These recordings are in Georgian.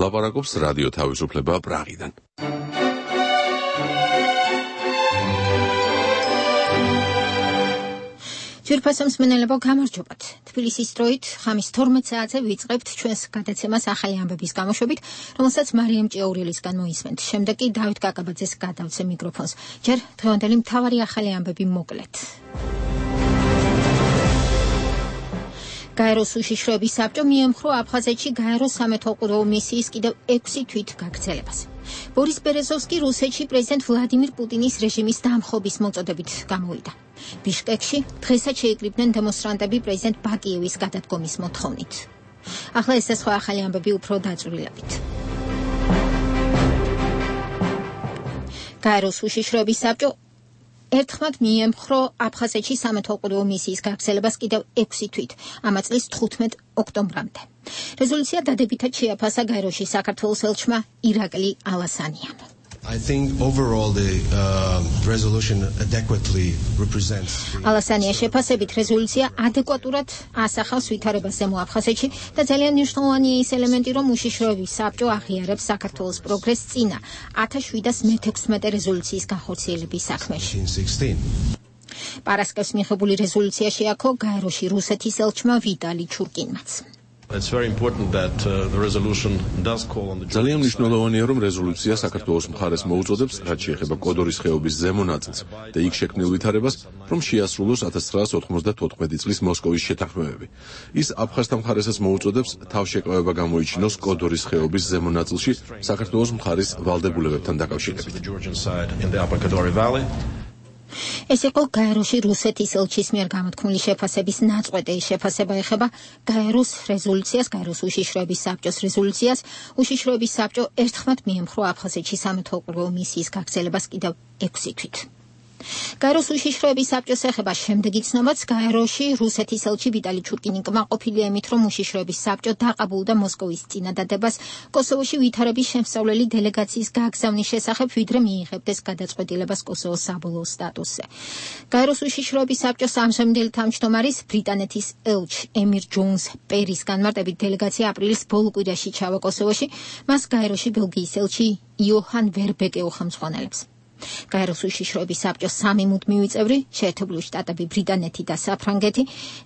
ლაპარაკობს რადიო თავისუფლება პრაღიდან. ძვირფასო მსმენელებო, გამარჯობათ. თბილისის დროით ხამის 12 საათზე ვიწყებთ ჩვენს გადაცემას ახალი ამბების გამოშვებით, რომელსაც მარიამ ჭიაურელისგან მოისმენთ. შემდეგ კი დავით კაკაბაძეს გადავცე მიკროფონს. ჯერ დღევანდელი მთავარი ახალი ამბები მოკლედ. გაეროს უშიშროების საბჭო მიემხრო აფხაზეთში გაეროს სამეთვალყურეო მისიის კიდევ 6 თვით გაგრძელებას. ბორის ბერეზოვსკი რუსეთში პრეზიდენტ ვლადიმირ პუტინის რეჟიმის დამხობის მოწოდებით გამოვიდა. ბიშკეკში დღესაც შეიკრიბნენ დემონსტრანტები პრეზიდენტ ბაკიევის გადადგომის მოთხოვნით. ახლა ეს და სხვა ახალი ამბები უფრო დაწვრილებით. გაეროს უშიშროების საბჭო ერთხმად მიემხრო აფხაზეთში სამეთვალყურეო მისიის გაგრძელებას კიდევ 6 თვით, ამა წლის 15 ოქტომბრამდე. რეზოლუცია დადებითად შეაფასა გაეროში საქართველოს ელჩმა ირაკლი ალასანიამ. I think overall the resolution adequately represents ალასანია შეფასებით რეზოლუცია ადეკვატურად ასახავს ვითარებას ზემო აფხაზეთში და ძალიან მნიშვნელოვანია ის ელემენტი, რომ უშიშროების საბჭო აღიარებს საქართველოს პროგრესს წინა 1716 რეზოლუციის განხორციელების საქმეში. პარასკევს მიღებული რეზოლუცია შეაქო გაეროში რუსეთის ელჩმა ვიტალი ჩურკინმაც. It's very important that the resolution does call on the ძალიან მნიშვნელოვანია, რომ რეზოლუცია საქართველოს მხარეს მოუწოდებს, რაც შეეხება კოდორის ხეობის ზემო ნაწილს და იქ შექმნილ ვითარებას, რომ შეასრულოს 1994 წლის მოსკოვის შეთანხმებები. ის აფხაზთა მხარესაც მოუწოდებს, თავშეკავება გამოიჩინოს კოდორის ხეობის ზემო ნაწილში საქართველოს მხარის ვალდებულებებთან დაკავშირებით. ეს იყო გაეროში რუსეთის ელჩის მიერ გამოთქმული შეფასების ნაწყვეტი. შეფასება ეხება გაეროს რეზოლუციას, გაეროს უშიშროების საბჭოს რეზოლუციას. უშიშროების საბჭო ერთხმად მიემხრო აფხაზეთში სამეთვალყურეო მისიის გაგრძელებას კიდევ 6 თვით. გაეროს უშიშროების საბჭოს ეხება შემდეგი ცნობაც. გაეროში რუსეთის ელჩი ვიტალი ჩურკინი კმაყოფილია იმით, რომ უშიშროების საბჭო დაყაბულდა მოსკოვის წინადადებას კოსოვოში ვითარების შემსწავლელი დელეგაციის გაგზავნის შესახებ, ვიდრე მიიღებდეს გადაწყვეტილებას კოსოვოს საბოლოო სტატუსზე. გაეროს უშიშროების საბჭოს ამჟამინდელი თავმჯდომარის ბრიტანეთის ელჩ ემირ ჯოუნს პერის განმარტებით დელეგაცია აპრილის ბოლო კვირაში ჩავა კოსოვოში, მას გაეროში ბელგიის ელჩი იოჰან ვერბეკე უხელმძღვანელებს. გაეროს უშიშროების საბჭოს 3 მუდმივი წევრი, შეერთებული შტატები, ბრიტანეთი და საფრანგეთი,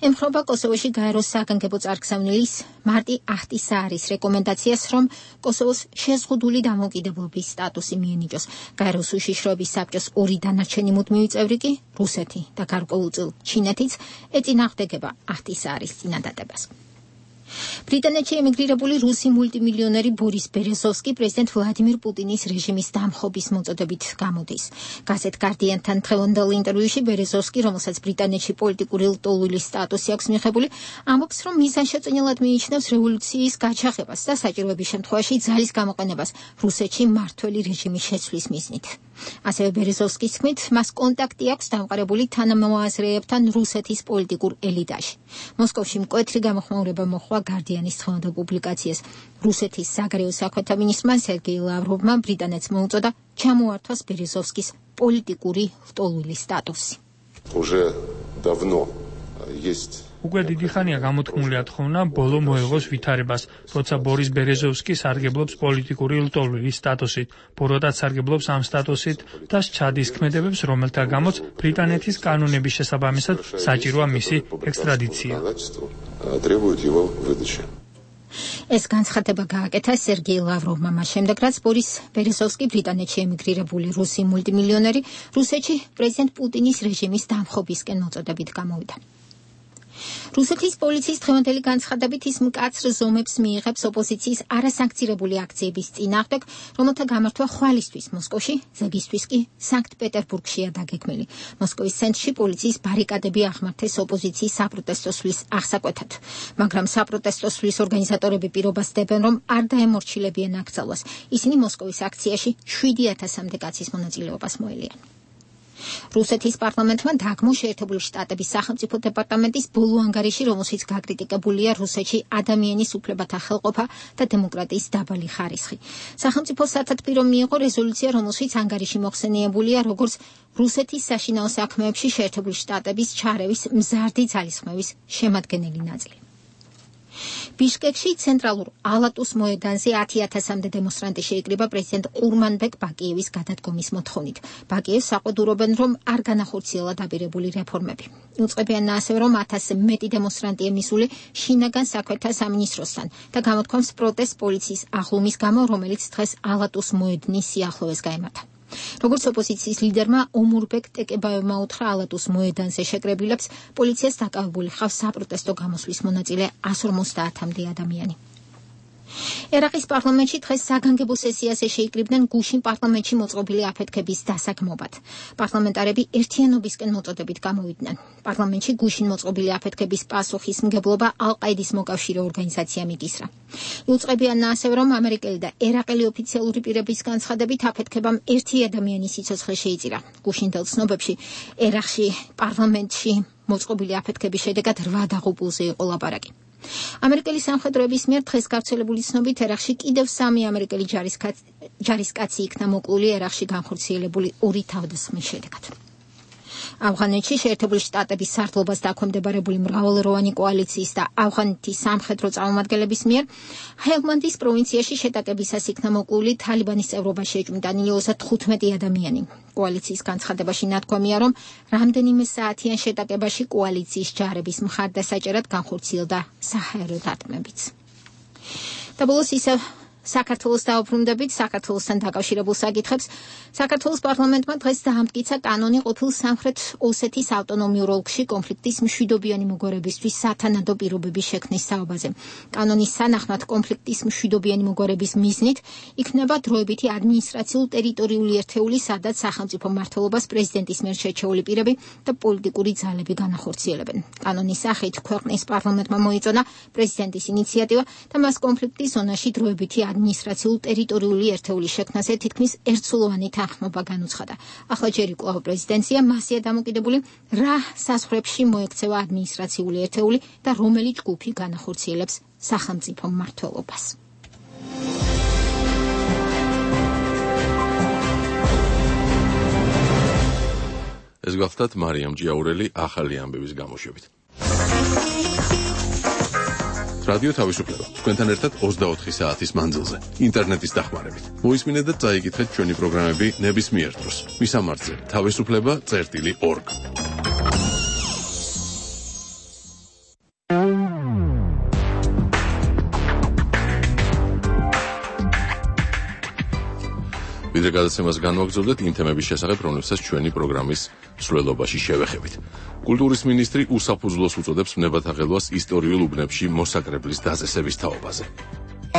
ემხრობა კოსოვოში გაეროს საგანგებო წარგზავნილის მარტი აჰტისაარის რეკომენდაციას, რომ კოსოვოს შეზღუდული დამოუკიდებლობის სტატუსი მიენიჭოს. გაეროს უშიშროების საბჭოს 2 დანარჩენი მუდმივი წევრი კი, რუსეთი და გარკვეულწილ ჩინეთიც, ეწინააღმდეგება აჰტისაარის წინადადებას. ბრიტანეთში ემიგრირებული რუსი მულტიმილიონერი ბორის ბერეზოვსკი პრეზიდენტ ვლადიმირ პუტინის რეჟიმის დამხობის მოწოდებით გამოდის. გაზეთ გარდიანთან დღევანდელ ინტერვიუში ბერეზოვსკი, რომელსაც ბრიტანეთში პოლიტიკური ლტოლვილის სტატუსი აქვს მიღებული, ამბობს, რომ მიზანშეწონილად მიიჩნევს რევოლუციის გაჩაღებას და საჭიროების შემთხვევაში ძალის გამოყენებას რუსეთში მმართველი რეჟიმის შეცვლის მიზნით. ასევე ბერეზოვსკის თქმით, მას კონტაქტი აქვს დამყარებული თანამოაზრეებთან რუსეთის პოლიტიკურ ელიტაში. მოსკოვში მკვეთრი გამოხმაურება მოჰყვა გარდიანის დღევანდელ პუბლიკაციას. რუსეთის საგარეო საქმეთა მინისტრმა სერგეი ლავროვმა ბრიტანეთს მოუწოდა ჩამოართვას ბერეზოვსკის პოლიტიკური ლტოლვილის სტატუსი. უკვე დიდი ხანია გამოთქმული ათხოვნა ბოლო მოეღოს ვითარებას, როცა ბორის ბერეზოვსკი სარგებლობს პოლიტიკური ლტოლვილის სტატუსით, ბოროტად სარგებლობს ამ სტატუსით და სჩადის ქმედებებს, რომელთა გამოც ბრიტანეთის კანონების შესაბამისად საჭიროა მისი ექსტრადიცია. ეს განცხადება გააკეთა სერგეი ლავროვმა მას შემდეგ, რაც ბორის ბერეზოვსკი ბრიტანეთში ემიგრირებული რუსი მულტიმილიონერი რუსეთში პრეზიდენტ პუტინის რეჟიმის დამხობისკენ მოწოდებით გამოვიდა. რუსეთის პოლიციის დღევანდელი განცხადებით ის მკაცრ ზომებს მიიღებს ოპოზიციის არასანქცირებული აქციების წინააღმდეგ, რომელთა გამართვა ხვალისთვის მოსკოვში, ზეგისთვის კი სანქტ-პეტერბურგშია დაგეგმილი. მოსკოვის ცენტრში პოლიციის ბარიკადები აღმართეს ოპოზიციის საპროტესტო სვლის აღსაკვეთად, მაგრამ საპროტესტო სვლის ორგანიზატორები პირობას დებენ, რომ არ დაემორჩილებიან აკრძალვას. ისინი მოსკოვის აქციაში 7000-მდე კაცის მონაწილეობას მოელიან. რუსეთის პარლამენტმა დაგმო შეერთებული შტატების სახელმწიფო დეპარტამენტის ბოლო ანგარიში, რომელშიც გაკრიტიკებულია რუსეთში ადამიანის უფლებათა ხელყოფა და დემოკრატიის დაბალი ხარისხი. სახელმწიფო სათათბირო მიიღო რეზოლუცია, რომელშიც ანგარიში მოხსენიებულია როგორც რუსეთის საშინაო საქმეებში შეერთებული შტატების ჩარევის მზარდი ძალისხმევის შემადგენელი ნაწილი. ბიშკეკში ცენტრალურ ალატუს მოედანზე 10,000-მდე დემონსტრანტი შეიკრიბა პრეზიდენტ ყურმანბეკ ბაკიევის გადადგომის მოთხოვნით. ბაკიევს საყვედურობენ, რომ არ განახორციელა დაბირებული რეფორმები. იუწყებიან ასევე, რომ 1000-ზე მეტი დემონსტრანტია მისული შინაგან საქმეთა სამინისტროსთან და გამოთქვამს პროტესტ პოლიციის აღლუმის გამო, რომელიც დღეს ალატუს მოედნის სიახლოვეს გაემართა. როგორც ოპოზიციის ლიდერმა ომურბეკ ტეკებაევმა უთხრა ალატუს მოედანზე შეკრებილებს, პოლიციას დაკავებული ხავს საპროტესტო გამოსვლის მონაწილე 150-მდე ადამიანი. ერაყის პარლამენტში დღეს საგანგებო სესიაზე შეიკრიბნენ გუშინ პარლამენტში მოწყობილი აფეთქების დასაგმობად. პარლამენტარები ერთიანობისკენ მოწოდებით გამოვიდნენ. პარლამენტში გუშინ მოწყობილი აფეთქების პასუხისმგებლობა ალ-ყაიდის მოკავშირე ორგანიზაციამ იკისრა. იუწყებიან ასევე, რომ ამერიკელი და ერაყელი ოფიციალური პირების განცხადებით აფეთქებამ ერთი ადამიანის სიცოცხლე შეიწირა. გუშინდელ ცნობებში ერაყში პარლამენტში მოწყობილი აფეთქების შედეგად 8 დაღუპულზე იყო ლაპარაკი. ამერიკელი სამხედროების მიერ დღეს გავრცელებული ცნობით ერაყში კიდევ 3 ამერიკელი ჯარისკაცი იქნა მოკლული ერაყში განხორციელებული 2 თავდასხმის შედეგად. ავღანეთში შეერთებული შტატების სარდლობას დაქვემდებარებული მრავალეროვანი კოალიციის და ავღანეთის სამხედრო წარმომადგენლების მიერ ჰელმანდის პროვინციაში შეტაკებისას იქნა მოკლული თალიბანის წევრობაში ეჭვმიტანილი 35 ადამიანი. კოალიციის განცხადებაში ნათქვამია, რომ რამდენიმე საათიან შეტაკებაში კოალიციის ჯარების მხარდასაჭერად განხორციელდა საჰაერო დარტყმებიც. და ბოლოს ისევ საქართველოს დაუბრუნდებით, საქართველოსთან დაკავშირებულ საკითხებს. საქართველოს პარლამენტმა დღეს დაამტკიცა კანონი ყოფილ სამხრეთ ოსეთის ავტონომიურ ოლქში კონფლიქტის მშვიდობიანი მოგვარებისთვის სათანადო პირობების შექმნის საუბაზე. კანონის სანახმად კონფლიქტის მშვიდობიანი მოგვარების მიზნით იქნება დროებითი ადმინისტრაციულ-ტერიტორიული ერთეული, სადაც სახელმწიფო მმართველობას პრეზიდენტის მიერ შერჩეული პირები და პოლიტიკური ძალები განახორციელებენ. კანონის სახით ქვეყნის პარლამენტმა მოიწონა პრეზიდენტის ინიციატივა და მას კონფლიქტის ზონაში დროებითი ადმინისტრაციულ-ტერიტორიული ერთეულის შექმნაზე თითქმის ერთსულოვანი თანხმობა განუცხადა. ახლა ჯერ კვლავ პრეზიდენცია მასია დამოკიდებული, რა საზღვრებში მოექცევა ადმინისტრაციული ერთეული და რომელი ჯგუფი განახორციელებს სახელმწიფო მმართველობას. ეს გახლდათ მარიამ ჯიაურელი ახალი ამბების გამოშვებით. რადიო თავისუფლება თქვენთან ერთად 24 საათის მანძილზე ინტერნეტის დახმარებით. მოისმინეთ და წაიკითხეთ ჩვენი პროგრამები ნებისმიერ დროს. მისამართზე თავისუფლება.org. ვიდრე გადაცემას განვაგრძობდეთ იმ თემების შესახებ, რომლებსაც ჩვენი პროგრამის მსვლელობაში შევეხებით. კულტურის მინისტრი უსაფუძვლოს უწოდებს ვნებათაღელვას ისტორიულ უბნებში მოსაკრებლის დაწესების თაობაზე.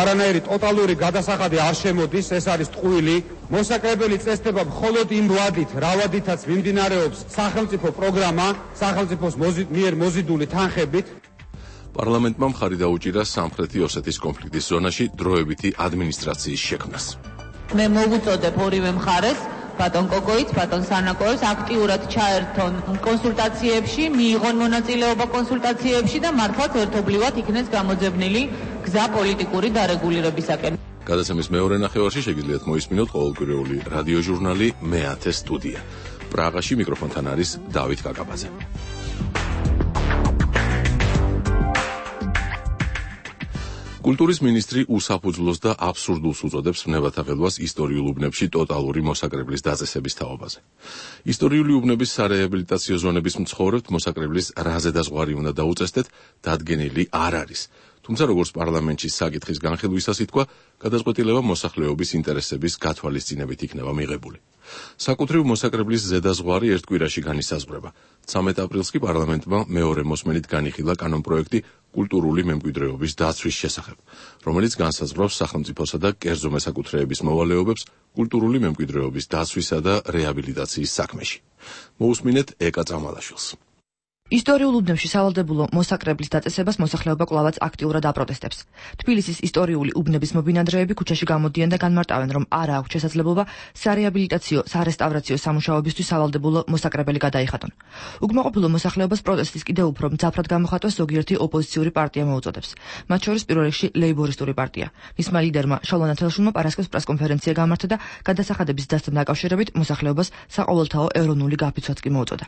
არანაირი ტოტალური გადასახადი არ შემოდის, ეს არის ტყუილი. მოსაკრებელი წესდება მხოლოდ იმ რავადითაც მიმდინარეობს სახელმწიფო პროგრამა, სახელმწიფოს მიერ მოზიდული თანხებით. პარლამენტმა მხარი დაუჭირა სამხრეთი ოსეთის კონფლიქტის ზონაში დროებითი ადმინისტრაციის შექმნას. მე მოვუწოდებ ორივე მხარეს, ბატონ კოკოიც, ბატონ სანაკოევს აქტიურად ჩაერთონ კონსულტაციებში, მიიღონ მონაწილეობა კონსულტაციებში და მართლაც ერთობლივად იქნეს გამოძებნილი გზა პოლიტიკური დარეგულირებისაკენ. გადაცემის მეორე ნახევარში შეგიძლიათ მოისმინოთ ყოველკვირეული რადიოჟურნალი მე-10 სტუდია. პრაღაში მიკროფონთან არის დავით კაკაბაძე. კულტურის მინისტრი უსაფუძვლოს და აბსურდულს უწოდებს ვნებათაღელვას ისტორიულ უბნებში ტოტალური მოსაკრებლის დაწესების თაობაზე. ისტორიული უბნების სარეაბილიტაციო ზონების მცხოვრებთ მოსაკრებლის რაზე დაზღვარი უნდა დაუწესდეთ, დადგენილი არ არის. თუმცა როგორც პარლამენტში საკითხის განხილვისას ითქვა, გადაწყვეტილება მოსახლეობის ინტერესების გათვალისწინებით იქნება მიღებული. საკუთრივ მოსაკრებლის ზედაზღვარი ერთ კვირაში განისაზღვრება. 13 აპრილს კი პარლამენტმა მეორე მოსმენით განიხილა კანონპროექტი კულტურული მემკვიდრეობის დაცვის შესახებ, რომელიც განსაზღვრავს სახელმწიფოსა და კერძო მესაკუთრეების მოვალეობებს კულტურული მემკვიდრეობის დაცვისა და რეაბილიტაციის საქმეში. მოусმინეთ ეკა წამალაშვილს. ისტორიულ უბნებში სავალდებულო მოსაკრებლის დაწესებას მოსახლეობა კვლავაც აქტიურად აპროტესტებს. თბილისის ისტორიული უბნების მობინადრეები ქუჩაში გამოდიან და განმარტავენ, რომ არ აქვს შესაძლებლობა სარეაბილიტაციო, სარესტავრაციო სამუშაოებისთვის სავალდებულო მოსაკრებელი გადაიხადონ. უკმაყოფილო მოსახლეობას პროტესტის კიდევ უფრო მძაფრად გამოხატვას ზოგიერთი ოპოზიციური პარტია მოუწოდებს. მათ შორის პირველ რიგში ლეიბორისტული პარტია. მისმა ლიდერმა შალვა ნათელაშვილმა პარასკევს პრესკონფერენცია გამართა და გადასახადების დასთან დაკავშირებით მოსახლეობას საყოველთაო ეროვნული გაფიცვაც კი მოუწოდა.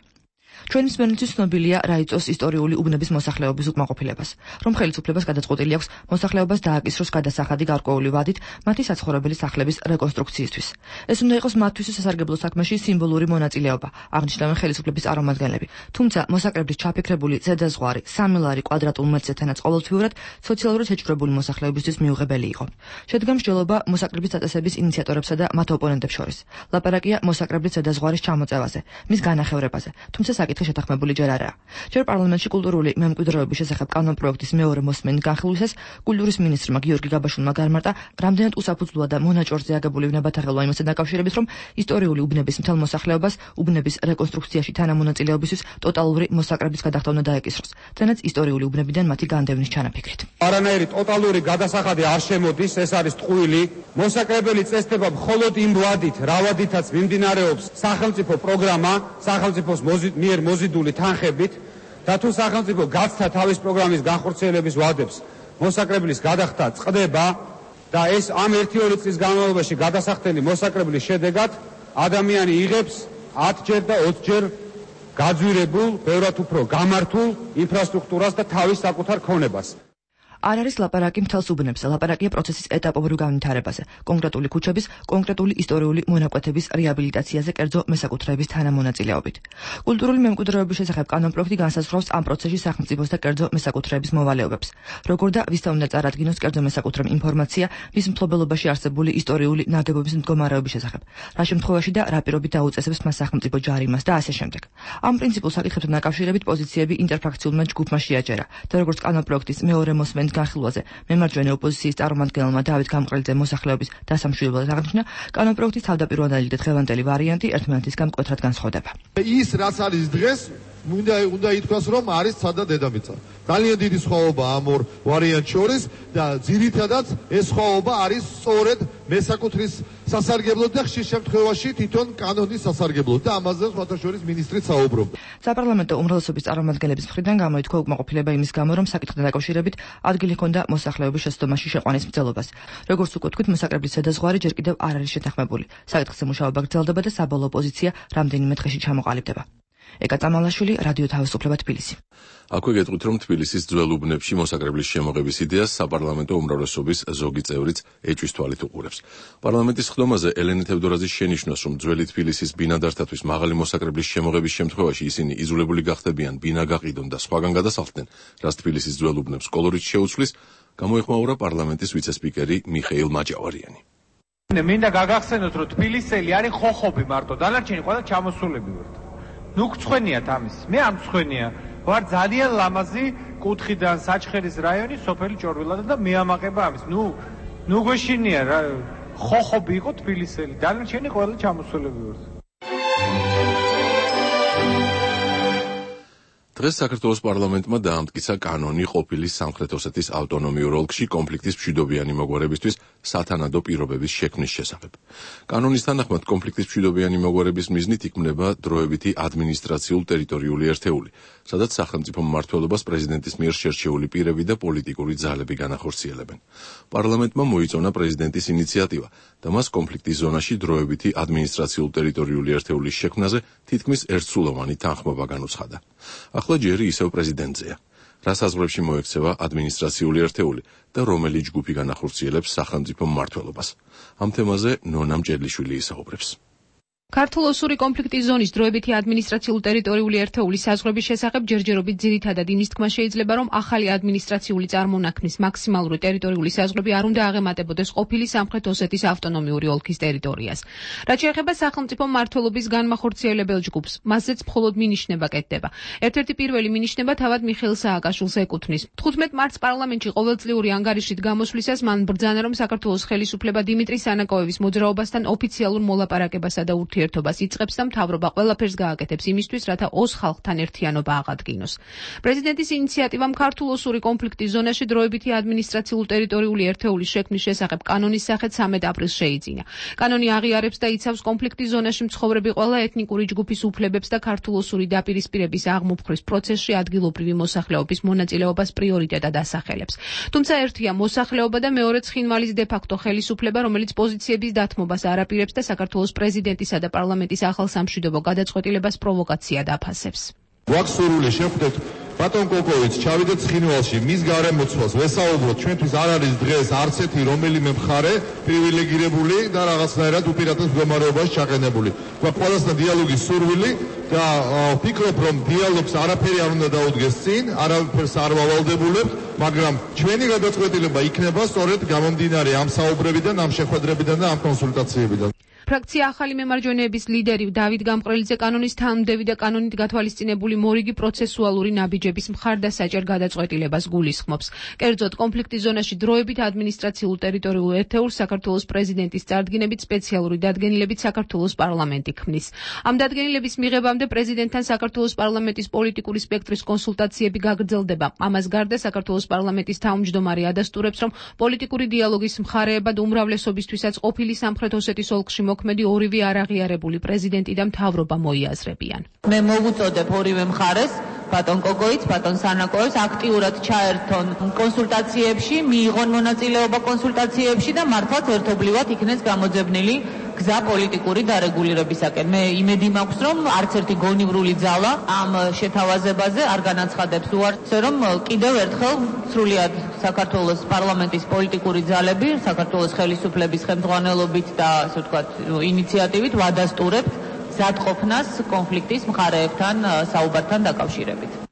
ჩვენი მსმენელთვის ცნობილია რა იწვევს ისტორიული უბნების მოსახლეობის უკმაყოფილებას, რომ ხელისუფლებას გადაწყვეტილი აქვს მოსახლეობას დააკისროს გადასახადი გარკვეული ვადით მათი საცხოვრებელი სახლების რეკონსტრუქციისთვის. ეს უნდა იყოს მათთვის სასარგებლო საქმეში სიმბოლური მონაწილეობა, აღნიშნავენ ხელისუფლების წარმომადგენლები. თუმცა მოსაკრებლის ჩაფიქრებული ზედაზღვარი 3 ლარი კვადრატულ მეტრთანაც ყოველთვიურად სოციალურად შეჭრებული მოსახლეობისთვის მიუღებელი იყო. შედგა მსჯელობა მოსაკრების დაწესების ინიციატორებსა და მათ ოპონენტებს შორის. ლაპარაკია მოსაკრებლის ზედაზღვარის ჩამოწევაზე, მის განახევრებაზე, თუმცა საკითხი შეთანხმებული ჯერ არაა. ჯერ პარლამენტში კულტურული მემკვიდრეობის შესახებ კანონპროექტის მეორე მოსმენის განხილვისას კულტურის მინისტრმა გიორგი გაბაშვილმა გარმარტა, რამდენად უსაფუძვლოა და მონაჭორზე აგებული ვნებათა ხელვა იმასთან დაკავშირებით, რომ ისტორიული უბნების მთელ მოსახლეობას უბნების რეკონსტრუქციაში თანამონაწილეობისთვის ტოტალური მოსაკრების გადახდა უნდა დაეკისროს, თანაც ისტორიული უბნებიდან მათი განდევნის ჩანაფიქრით. არანაირი ტოტალური გადასახადი არ შემოდის, ეს არის ტყუილი. მოსაკრებელი წესდება მხოლოდ იმ ვადით, რა ვადითაც მიმდინარეობს სახელმწიფო პროგრამა, სახელმწიფოს მიერ მოზიდული თანხებით და თუ სახელმწიფო გაცდა თავის პროგრამის განხორციელების ვადებს, მოსაკრებლის გადახდა წყდება და ეს ამ 1-2 წლის განმავლობაში გადასახდელი მოსაკრებლის შედეგად ადამიანი იღებს 10 ჯერ და 20 ჯერ გაძვირებულ, ბევრად უფრო გამართულ ინფრასტრუქტურას და თავის საკუთარ ქონებას. არ არის ლაპარაკი მთელს უბნებზე, ლაპარაკია პროცესის ეტაპობრივ განვითარებაზე, კონკრეტული ქუჩების, კონკრეტული ისტორიული მონაკვეთების რეაბილიტაციაზე კერძო მესაკუთრეების თანამონაწილეობით. კულტურული მემკვიდრეობის შესახებ კანონპროექტი განსაზღვრავს ამ პროცესში სახელმწიფოს და კერძო მესაკუთრეების მოვალეობებს. როგორ და ვისთან უნდა წარადგინოს კერძო მესაკუთრემ ინფორმაცია მის მფლობელობაში არსებული ისტორიული ნაგებობის მდგომარეობის შესახებ, რა შემთხვევაში და რა პირობით დაუწესებს მას სახელმწიფო ჯარიმას და ასე შემდეგ. ამ პრინციპულ საკითხებთან დაკავშირებით პოზიციები ინტერფრაქციულმა ჯგუფმა შეაჯერა და როგორც კანონპროექტის მეორე მოსმენის განხილვაზე მემარჯვენე ოპოზიციის წარმომადგენელმა დავით გამყრელიძემ მოსახლეობის დასამშვიდებლად აღნიშნა, კანონპროექტის თავდაპირველი და დღევანდელი ვარიანტი ერთმანეთისგან მკვეთრად განსხვავდება. ის რაც არის დღეს უნდა ითქვას, რომ არის ცადა დედამიწა. ძალიან დიდი სხვაობა ამ ორ ვარიანტს შორის და ძირითადად ეს სხვაობა არის სწორედ მესაკუთრის სასარგებლოდ და ხშირ შემთხვევაში თვითონ კანონის სასარგებლოდ და ამაზე სხვათა შორის მინისტრიც საუბრობდა. საპარლამენტო უმრავლესობის წარმომადგენლების მხრიდან გამოითქვა უკმაყოფილება იმის გამო, რომ საკითხთან დაკავშირებით ადგილი ჰქონდა მოსახლეობის შეცდომაში შეყვანის მცდელობას. როგორც უკვე თქვით, მოსაკრებლის ზედაზღვარი ჯერ კიდევ არ არის შეთანხმებული. საკითხზე მუშაობა გრძელდება და საბოლოო პოზიცია რამდენიმე დღეში ჩამოყალიბდება. ეკა წამალაშვილი, რადიო თავისუფლება, თბილისი. აქვე გეტყვით, რომ თბილისის ძველ უბნებში მოსაკრებლის შემოღების იდეას საპარლამენტო უმრავლესობის ზოგი წევრიც ეჭვის თვალით უყურებს. პარლამენტის ხდომაზე ელენე თევდორაძის შენიშვნას, რომ ძველი თბილისის ბინადართათვის მაღალი მოსაკრებლის შემოღების შემთხვევაში ისინი იძულებული გახდებიან ბინა გაყიდონ და სხვაგან გადასახლდნენ, რაც თბილისის ძველ უბნებს კოლორიტ შეუცვლის, გამოეხმაურა პარლამენტის ვიცე-სპიკერი მიხეილ მაჭავარიანი. მინდა გაგახსენოთ, რომ თბილისელი არის ხოხობი მარტო, დანარჩენი ყველა ჩამოსულები ვართ. ნუ გწვენიათ ამის. მე ამ გწვენია. ვარ ძალიან ლამაზი კუთხიდან საჩხერის რაიონის სოფელი ჭორვილადა და მეამაყება ამის. ნუ გვეშინია რა. ხოხობი იყო თბილისელი. დანარჩენი ყველა ჩამოსულები ვართ. დღეს საქართველოს პარლამენტმა დაამტკიცა კანონი ყოფილი სამხრეთ ოსეთის ავტონომიურ ოლქში კონფლიქტის მშვიდობიანი მოგვარებისთვის სათანადო პირობების შექმნის შესახებ. კანონის თანახმად კონფლიქტის მშვიდობიანი მოგვარების მიზნით იქმნება დროებითი ადმინისტრაციულ-ტერიტორიული ერთეული, სადაც სახელმწიფო მმართველობას პრეზიდენტის მიერ შერჩეული პირები და პოლიტიკური ძალები განახორციელებენ. პარლამენტმა მოიწონა პრეზიდენტის ინიციატივა და მას კონფლიქტის ზონაში დროებითი ადმინისტრაციულ-ტერიტორიული ერთეულის შექმნაზე თითქმის ერთსულოვანი თანხმობა განუცხადა. ახლა ჯერი ისევ პრეზიდენტზეა. რა საზღვრებში მოექცევა ადმინისტრაციული ერთეული და რომელი ჯგუფი განახორციელებს სახელმწიფო მმართველობას. ამ თემაზე ნონა მჭედლიშვილი ისაუბრებს. ქართულ-ოსური კონფლიქტის ზონის დროებითი ადმინისტრაციულ-ტერიტორიული ერთეულის საზღვრების შესახებ ჯერჯერობით ძირითადად იმის თქმა შეიძლება, რომ ახალი ადმინისტრაციული წარმონაქმნის მაქსიმალური ტერიტორიული საზღვრები არ უნდა აღემატებოდეს ყოფილი სამხრეთ ოსეთის ავტონომიური ოლქის ტერიტორიას. რაც შეეხება სახელმწიფო მმართველობის განმახორციელებელ ჯგუფს, მასზეც მხოლოდ მინიშნება კეთდება. ერთ-ერთი პირველი მინიშნება თავად მიხეილ სააკაშვილს ეკუთვნის. 15 მარტს პარლამენტში ყოველწლიური ანგარიშით გამოსვლისას მან ბრძანა, რომ საქართველოს ხელისუფლება დიმიტრი სანაკოევის მოძრაობასთან ოფიციალურ მოლაპარაკებასა და ურთიერთობას იწყებს და მთავრობა ყველაფერს გააკეთებს იმისთვის, რათა ოს ხალხთან ერთიანობა აღადგინოს. პრეზიდენტის ინიციატივამ ქართულ-ოსური კონფლიქტის ზონაში დროებითი ადმინისტრაციულ-ტერიტორიული ერთეულის შექმნის შესახებ კანონის სახით 13 აპრილს შეიძინა. კანონი აღიარებს და იცავს კონფლიქტის ზონაში მცხოვრები ყველა ეთნიკური ჯგუფის უფლებებს და ქართულ-ოსური დაპირისპირების აღმოფხრის პროცესში ადგილობრივი მოსახლეობის მონაწილეობას პრიორიტეტად ასახელებს. თუმცა ერთია მოსახლეობა და მეორეც ცხინვალის დე-ფაქტო ხელისუფლება, რომელიც პოზიციების დათმობას არ აპირებს და საქართველოს პრეზიდენტისა და პარლამენტის ახალ სამშვიდობო გადაწყვეტილებას პროვოკაციად აფასებს. გვაქვს სურვილი შევხვდეთ ბატონ კოკოვიც, ჩავიდეთ ცხინვალში, მის გარემოცვას ვესაუბროთ, ჩვენთვის არ არის დღეს არც ერთი რომელიმე მხარე პრივილეგირებული და რაღაცნაირად უპირატეს მდგომარეობაში ჩაყენებული. გვაქვს ყველასთან დიალოგის სურვილი და ვფიქრობ, რომ დიალოგს არაფერი არ უნდა დაუდგეს წინ, არაფერს არ ვავალდებულებთ, მაგრამ ჩვენი გადაწყვეტილება იქნება სწორედ გამომდინარე ამ საუბრებიდან, ამ შეხვედრებიდან და ამ კონსულტაციებიდან. ფრაქცია ახალი მემარჯვენეების ლიდერი დავით გამყრელიძე კანონის თანმდევი და კანონით გათვალისწინებული მორიგი პროცესუალური ნაბიჯების მხარდასაჭერ გადაწყვეტილებას გულისხმობს. კერძოდ, კონფლიქტის ზონაში დროებით ადმინისტრაციულ ტერიტორიულ ერთეულს საქართველოს პრეზიდენტის წარდგინებით სპეციალური დადგენილებით საქართველოს პარლამენტი ქმნის. ამ დადგენილების მიღებამდე პრეზიდენტთან საქართველოს პარლამენტის პოლიტიკური სპექტრის კონსულტაციები გაგრძელდება. ამას გარდა საქართველოს პარლამენტის თავმჯდომარე ადასტურებს, რომ პოლიტიკური დიალოგის მხარეებად უმრავლესობისთვისაც ყოფილი სამხრეთ ოსეთის ოლქში მოქმედი ორივე არაღიარებული პრეზიდენტი და მთავრობა მოიაზრებიან. მე მოვუწოდებ ორივე მხარეს, ბატონ კოკოიც, ბატონ სანაკოევს აქტიურად ჩაერთონ კონსულტაციებში, მიიღონ მონაწილეობა კონსულტაციებში და მართლაც ერთობლივად იქნეს გამოძებნილი გზა პოლიტიკური დარეგულირებისაკენ. მე იმედი მაქვს, რომ არც ერთი გონივრული ძალა ამ შეთავაზებაზე არ განაცხადებს უარს, რომ კიდევ ერთხელ სრულიად საქართველოს პარლამენტის პოლიტიკური ძალები, საქართველოს ხელისუფლების ხელმძღვანელობით და ასე ვთქვათ, ინიციატივით ვადასტურებთ მზადყოფნას კონფლიქტის მხარეებთან საუბართან დაკავშირებით.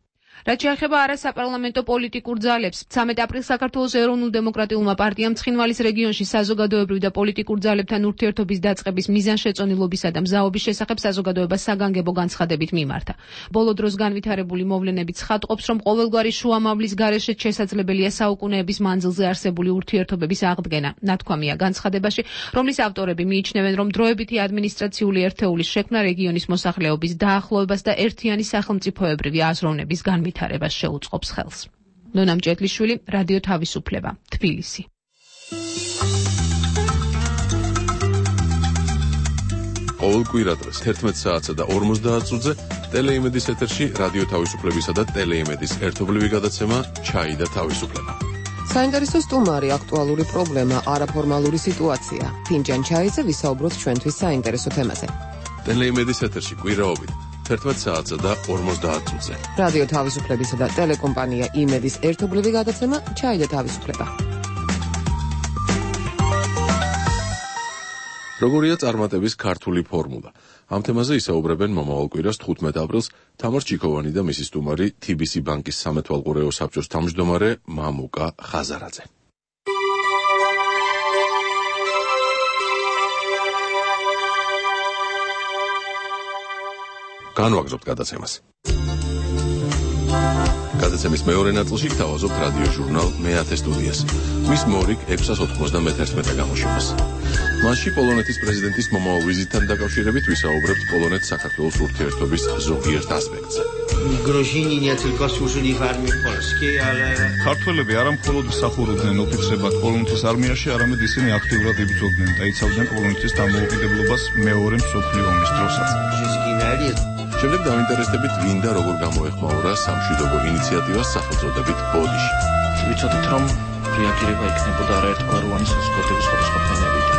რაც შეეხება არასაპარლამენტო პოლიტიკურ ძალებს, 13 აპრილს საქართველოს ეროვნულ-დემოკრატიულმა პარტიამ ცხინვალის რეგიონში საზოგადოებრივ და პოლიტიკურ ძალებთან ურთიერთობის დაწყების მიზანშეწონილობისა და მზაობის შესახებ საზოგადოებას საგანგებო განცხადებით მიმართა. ბოლო დროს განვითარებული მოვლენებით ცხადყოფს, რომ ყოველგვარი შუამავლის გარეშე შესაძლებელია საუკუნეების მანძილზე არსებული ურთიერთობების აღდგენა. ნათქვამია განცხადებაში, რომლის ავტორები მიიჩნევენ, რომ დროებითი ადმინისტრაციული ერთეულის შექმნა რეგიონის მოსახლეობის დაახლოებას და ერთიანი სახელმწიფოებრივი აზროვნების განვითარებას შეუწყობს ხელს. ნონა მჭედლიშვილი, რადიო თავისუფლება, თბილისი. ყოველ კვირადღეს 11 საათსა და 50 წუთზე ტელეიმედის ეთერში რადიო თავისუფლებისა და ტელეიმედის ერთობლივი გადაცემა ჩაი და თავისუფლება. საინტერესო სტუმარი, აქტუალური პრობლემა, არაფორმალური სიტუაცია. ფინჯან ჩაიზე ვისაუბროთ ჩვენთვის საინტერესო თემაზე. ტელეიმედის ეთერში კვირაობით 11 საათსა და 50 წუთზე. რადიო თავისუფლებისა და ტელეკომპანია იმედის ერთობლივი გადაცემა ჩაი და თავისუფლება. როგორია წარმატების ქართული ფორმულა? ამ თემაზე ისაუბრებენ მომავალ კვირას 15 აპრილს თამარ ჩიქოვანი და მისი სტუმარი TBC ბანკის სამეთვალყურეო საბჭოს თავმჯდომარე მამუკა ხაზარაძე. განვაგრძობთ გადაცემას. გადაცემის მეორე ნაწილში გთავაზობთ რადიო ჟურნალ მეათე სტუდიას. მის მორიგ 691 გამოშვებას. მასში პოლონეთის პრეზიდენტის მომავალ ვიზიტთან დაკავშირებით ვისაუბრებთ პოლონეთ-საქართველოს ურთიერთობის ზოგიერთ ასპექტზე. Grozini nie tylko służyli w armii polskiej, ale ქართველები არა მხოლოდ მსახურობდნენ ოფიცრებად პოლონეთის არმიაში, არამედ ისინი აქტიურად იბრძოდნენ და იცავდნენ პოლონეთის დამოუკიდებლობას მეორე მსოფლიო ომის დროსაც. შემდეგ დავინტერესდებით ვინ და როგორ გამოეხმაურა სამშვიდობო ინიციატივას სახელწოდებით ბოდიში. ვიცოდით, რომ რეაგირება იქნებოდა არაერთგვაროვანი საზოგადოების სხვადასხვა ფენებიდან.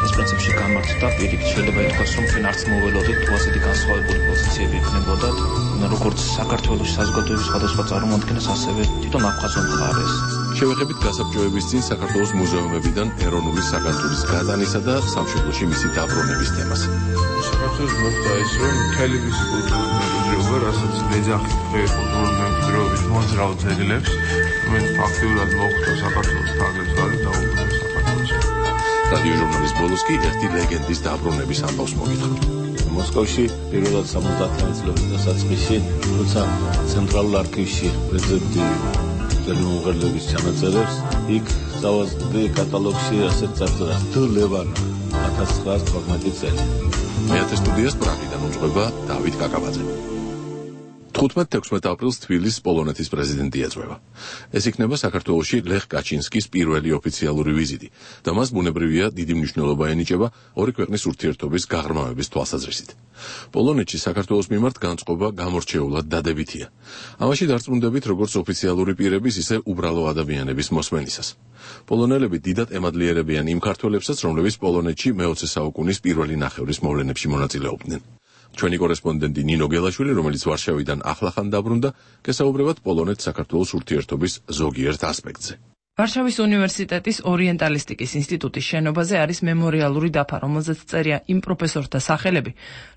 ეს პრინციპში გამართდა პირიქით შეიძლება ითქვას, რომ ჩვენ არც მოველოდით თუ ასეთი განსხვავებული პოზიციები იქნებოდა, როგორც საქართველოს საზოგადოების სხვადასხვა წარმოადგენას, ასევე თვითონ აფხაზურ მხარეს. შევეხებით გასაბჭოების წინ საქართველოს მუზეუმებიდან ეროვნული საგანძურის გადანისა და სამშობლოში მისი დაბრუნების თემას. საქართველოს მოხდა ის, რომ მთელი მისი კულტურული მემკვიდრეობა, რასაც ეძახით კულტურული მემკვიდრეობის მოძრავ ძეგლებს, რომელიც ფაქტიურად მოხდა საქართველოს თავგადასავლად დაუბრუნდა საქართველოს. რადიო ჟურნალის ბოლოს კი ერთი ლეგენდის დაბრუნების ამბავს მოგითხრით. მოსკოვში პირველად 70-იანი წლების დასაწყისში, როცა ცენტრალურ არქივში პრეზიდენტი umღერლების ჩანაწერებს, იქ სავაზდი კატალოგში ასეთ წარწერა თუ ლევან 1912 წელი. მეათე სტუდიას პრაღიდან უძღვება დავით კაკაბაძე. 15-16 აპრილს თბილისის პოლონეთის პრეზიდენტი ეწვევა. ეს იქნება საქართველოში ლეხ კაჩინსკის პირველი ოფიციალური ვიზიტი და მას ბუნებრივია დიდი მნიშვნელობა ენიჭება ორი ქვეყნის ურთიერთობის გაღრმავების თვალსაზრისით. პოლონეთში საქართველოს მიმართ განწყობა გამორჩეულად დადებითია. ამაში დარწმუნდებით როგორც ოფიციალური პირების, ისე უბრალო ადამიანების მოსმენისას. პოლონელები დიდად ემადლიერებიან იმ ქართველებსაც, რომლებიც პოლონეთში მე-20 საუკუნის პირველი ნახევრის მოვლენებში მონაწილეობდნენ. ჩვენი კორესპონდენტი ნინო გელაშვილი, რომელიც ვარშავიდან ახლახან დაბრუნდა, გესაუბრებათ პოლონეთ-საქართველოს ურთიერთობის ზოგიერთ ასპექტზე. ვარშავის უნივერსიტეტის ორიენტალისტიკის ინსტიტუტის შენობაზე არის მემორიალური დაფა, რომელზეც წერია იმ პროფესორთა სახელები,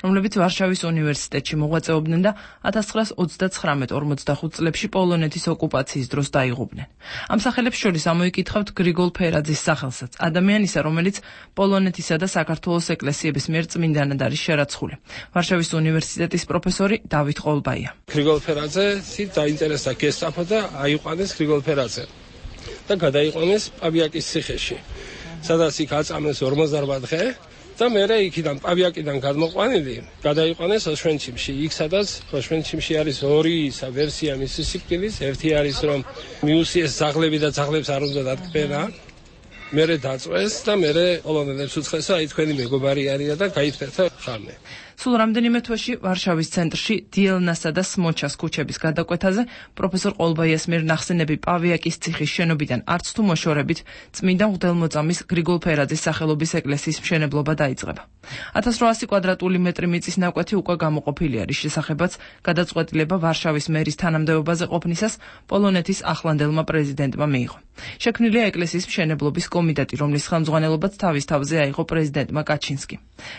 რომლებიც ვარშავის უნივერსიტეტში მოღვაწეობდნენ და 1939-45 წლებში პოლონეთის ოკუპაციის დროს დაიღუპნენ. ამ სახელებს შორის ამოიკითხავთ გრიგოლ ფერაძის სახელსაც, ადამიანისა, რომელიც პოლონეთისა და საქართველოს ეკლესიების მიერ წმინდანად არის შერაცხული. ვარშავის უნივერსიტეტის პროფესორი დავით ყოლბაია. გრიგოლ ფერაძე დაინტერესდა გესტაფო და აიყვანეს გრიგოლ ფერაძე. და გადაიყვანეს პავიაკის ციხეში, სადაც იქ აწამეს 48 დღე და მერე იქიდან პავიაკიდან გადმოყვანილი გადაიყვანეს ოშვენციმში. იქ სადაც ოშვენციმში არის ორი ვერსია მისი სიკვდილის, ერთი არის რომ მიუსიეს ძაღლები და ძაღლებს არ უნდა დატკბენა, მერე დაწვეს და მერე პოლონელებს უცხეს, აი თქვენი მეგობარი არიან და გაითქვა ხარნე. სულ რამდენიმე თვეში ვარშავის ცენტრში დიელნასა და სმოჩას ქუჩების გადაკვეთაზე პროფესორ ყოლბაიას მიერ ნახსენები პავიაკის ციხის შენობიდან არც თუ მოშორებით წმინდა მღვდელმოწამის გრიგოლ ფერაძის სახელობის ეკლესიის მშენებლობა დაიწყება. 1800 კვადრატული მეტრი მიწის ნაკვეთი უკვე გამოყოფილია, რის შესახებაც გადაწყვეტილება ვარშავის მერის თანამდებობაზე ყოფნისას პოლონეთის ახლანდელმა პრეზიდენტმა მიიღო. შექმნილია ეკლესიის მშენებლობის კომიტეტი, რომლის ხელმძღვანელობაც თავის თავზე აიღო პრეზიდენტმა კაჩინსკი.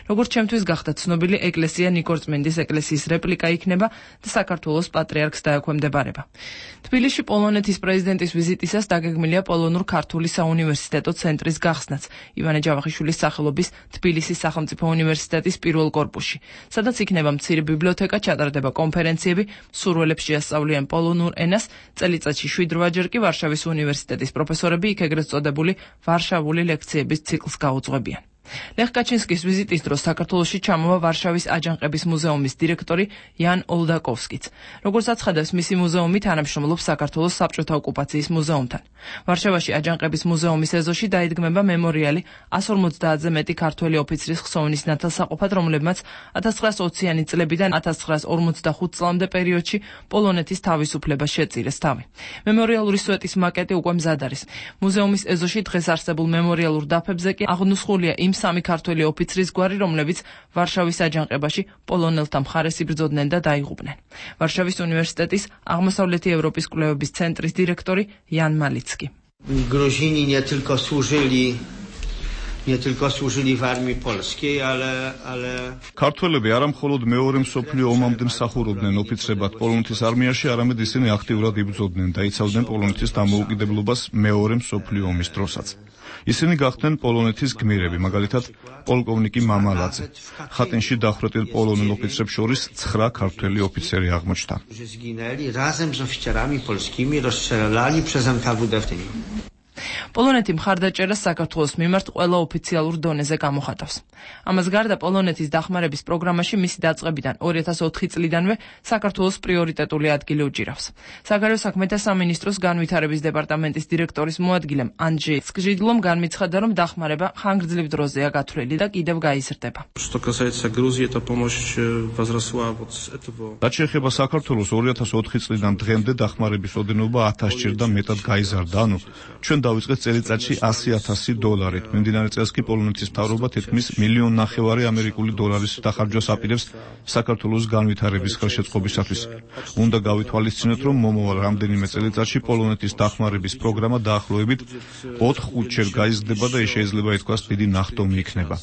როგორც ჩემთვის გახდა ცნობილი, ეკლესია ნიკორწმინდის ეკლესიის რეპლიკა იქნება და საქართველოს პატრიარქს დაექვემდებარება. თბილისში პოლონეთის პრეზიდენტის ვიზიტისას დაგეგმილია პოლონურ-ქართული საუნივერსიტეტო ცენტრის გახსნაც ივანე ჯავახიშვილის სახელობის თბილისის სახელმწიფო უნივერსიტეტის პირველ კორპუსში, სადაც იქნება მცირე ბიბლიოთეკა, ჩატარდება კონფერენციები, მსურველებს შეასწავლიან პოლონურ ენას, წელიწადში 7-8 ჯერ კი ვარშავის უნივერსიტეტის პროფესორები იქ ეგრეთ წოდებული ვარშავული ლექციების ციკლს გაუძღვებიან. ლეხ კაჩინსკის ვიზიტის დროს საქართველოში ჩამოვა ვარშავის აჯანყების მუზეუმის დირექტორი იან ოლდაკოვსკიც. როგორც აცხადებს მისი მუზეუმი, თანამშრომლობს საქართველოს საბჭოთა ოკუპაციის მუზეუმთან. ვარშავაში აჯანყების მუზეუმის ეზოში დაიდგმება მემორიალი 150-ზე მეტი ქართველი ოფიცრის ხსოვნის ნათელსაყოფად, რომლებმაც 1920-იანი წლებიდან 1945 წლამდე პერიოდში პოლონეთის თავისუფლებას შეწირეს თავი. მემორიალური სვეტის მაკეტი უკვე მზად არის. მუზეუმის ეზოში დღეს არსებულ მემორიალურ დაფებზე კი აღნუსხულია იმ სამი ქართველი ოფიცრის გვარი, რომლებიც ვარშავის აჯანყებაში პოლონელთა მხარეს იბრძოდნენ და დაიღუპნენ. ვარშავის უნივერსიტეტის აღმოსავლეთი ევროპის კვლევების ცენტრის დირექტორი იან მალიცკი. Grozini nie tylko służyli w armii polskiej, ale ქართველები არა მხოლოდ მეორე მსოფლიო ომამდე მსახურობდნენ ოფიცრებად პოლონეთის არმიაში, არამედ ისინი აქტიურად იბრძოდნენ და იცავდნენ პოლონეთის დამოუკიდებლობას მეორე მსოფლიო ომის დროსაც. ისინი გახდნენ პოლონეთის გმირები, მაგალითად პოლკოვნიკი მამალაძე. ხატენში დახვრეტილ პოლონელ ოფიცრებს შორის 9 ქართველი ოფიცერი აღმოჩნდა. razem z oficerami polskimi rozstrzelali przez NKWD wtedy. პოლონეთი მხარდაჭერას საქართველოს მიმართ ყველა ოფიციალურ დონეზე გამოხატავს. ამას გარდა პოლონეთის დახმარების პროგრამაში მისი დაწყებიდან 2004 წლიდანვე საქართველოს პრიორიტეტული ადგილი უჭირავს. საგარეო საქმეთა სამინისტროს განვითარების დეპარტამენტის დირექტორის მოადგილემ ანჯეი სკჟიდლომ განმეცხადა, რომ დახმარება ხანგრძლივ დროზეა გათვლილი და კიდევ გაიზრდება. რაც შეეხება საქართველოს 2004 წლიდან დღემდე დახმარების ოდენობა 1000 ჯერ და მეტად გაიზარდა, ანუ ჩვენ დავიწყეთ წელიწადში $100,000. მიმდინარე წელს კი პოლონეთის მთავრობა თითქმის $1.5 მილიონ ამერიკული დოლარის დახარჯვას აპირებს საქართველოს განვითარების ხელშეწყობისათვის. უნდა გავითვალისწინოთ, რომ მომავალ რამდენიმე წელიწადში პოლონეთის დახმარების პროგრამა დაახლოებით 4-5 ჯერ გაიზრდება და შეიძლება ითქვას დიდი ნახტომი იქნება.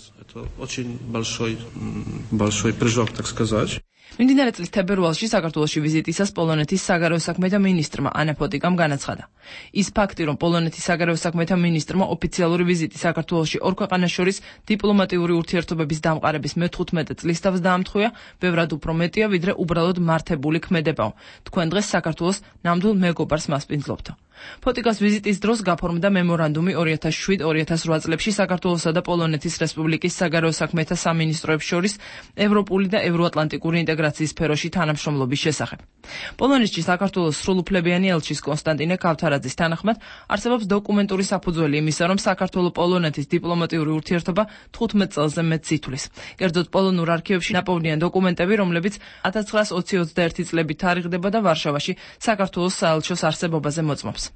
მიმდინარე წლის თებერვალში საქართველოში ვიზიტისას პოლონეთის საგარეო საქმეთა მინისტრმა ანა ფოტიკამ განაცხადა. ის ფაქტი, რომ პოლონეთის საგარეო საქმეთა მინისტრმა ოფიციალური ვიზიტი საქართველოში ორ ქვეყანას შორის დიპლომატიური ურთიერთობების დამყარების მე-15 წლის თავს დაამთხვია, ბევრად უფრო მეტია, ვიდრე უბრალოდ მართებული ქმედებაო. თქვენ დღეს საქართველოს ნამდვილ მეგობარს მასპინძლობთ. ფოტიკას ვიზიტის დროს გაფორმდა მემორანდუმი 2007-2008 წლებში საქართველოსა და პოლონეთის რესპუბლიკის საგარეო საქმეთა სამინისტროებს შორის ევროპული და ევროატლანტიკური ინტეგრაციის სფეროში თანამშრომლობის შესახებ. პოლონეთში საქართველოს სრულუფლებიანი ელჩის კონსტანტინე ქავთარაძის თანახმად არსებობს დოკუმენტური საფუძველი იმისა, რომ საქართველო-პოლონეთის დიპლომატიური ურთიერთობა 15 წელზე მეტს ითვლის. კერძოდ პოლონურ არქივებში ნაპოვნია დოკუმენტები, რომლებიც 1920-21 წლებით თარიღდება და ვარშავაში საქართველოს საელჩოს არსებობაზე მოწმობს.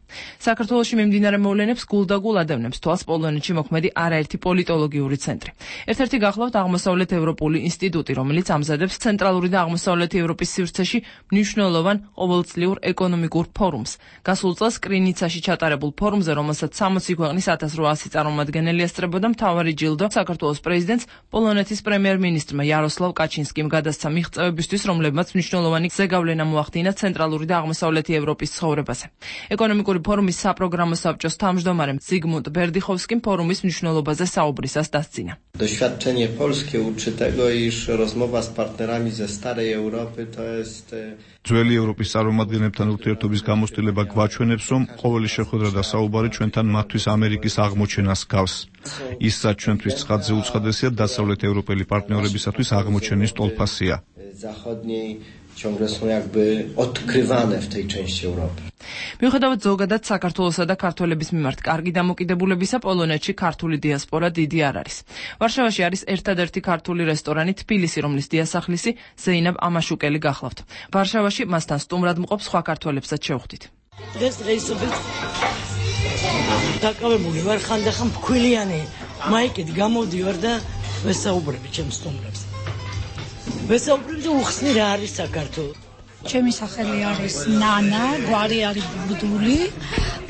საქართველოში მიმდინარე მოვლენებს გულდაგულ ადევნებს თვალს პოლონეთში მოქმედი არაერთი პოლიტოლოგიური ცენტრი. ერთ-ერთი გახლავთ აღმოსავლეთ ევროპული ინსტიტუტი, რომელიც ამზადებს ცენტრალური და აღმოსავლეთი ევროპის სივრცეში მნიშვნელოვან ყოველწლიურ ეკონომიკურ ფორუმს. გასულ წელს კრინიცაში ჩატარებულ ფორუმზე, რომელსაც 60 ქვეყნის 1800 წარმომადგენელი ესწრებოდა, მთავარი ჯილდო საქართველოს პრეზიდენტს პოლონეთის პრემიერ-მინისტრმა იაროსლავ კაჩინსკიმ გადასცა მიღწევებისთვის, რომლებმაც მნიშვნელოვანი ზეგავლენა მოახდინა ცენტრალური და აღმოსავლეთი ევროპის ცხოვრებაზე. ეკონომიკური ფორუმის საპროგრამო საბჭოს თავმჯდომარემ ზიგმუნდ ბერდიხოვსკიმ ფორუმის მნიშვნელობაზე საუბრისას დასცინა. Doświadczenie polskie uczy tego, iż rozmowa z partnerami ze starej Europy to jest ძველი ევროპის წარმომადგენლებთან ურთიერთობის გამოცდილება გვაჩვენებს, რომ ყოველი შეხვედრა და საუბარი ჩვენთან მათთვის ამერიკის აღმოჩენას გავს. ისაც ჩვენთვის ცხადზე უცხადესია დასავლეთ ევროპელი პარტნიორებისათვის აღმოჩენის ტოლფასია. ciągle są jakby odkrywane w tej części Europy. მიუხედავად ზოგადად საქართველოსა და ქართველების მიმართ კარგი დამოკიდებულებისა, პოლონეთში ქართული დიასპორა დიდი არ არის. ვარშავაში არის ერთადერთი ქართული რესტორანი თბილისი, რომლის დიასახლისი ზეინაბ ამაშუკელი გახლავთ. ვარშავაში მასთან სტუმრად მყოფ სხვა ქართველებსაც შევხვდით. დღესდღეობით დაკავებული ვარ ხანდახან ფქვილიანი მაიკით გამოდივარ და ვესაუბრები ჩემს სტუმრებს. ვესაუბრები უხსნი რა არის საქართველო. ჩემი სახელი არის ნანა, გვარი არის ბუდული,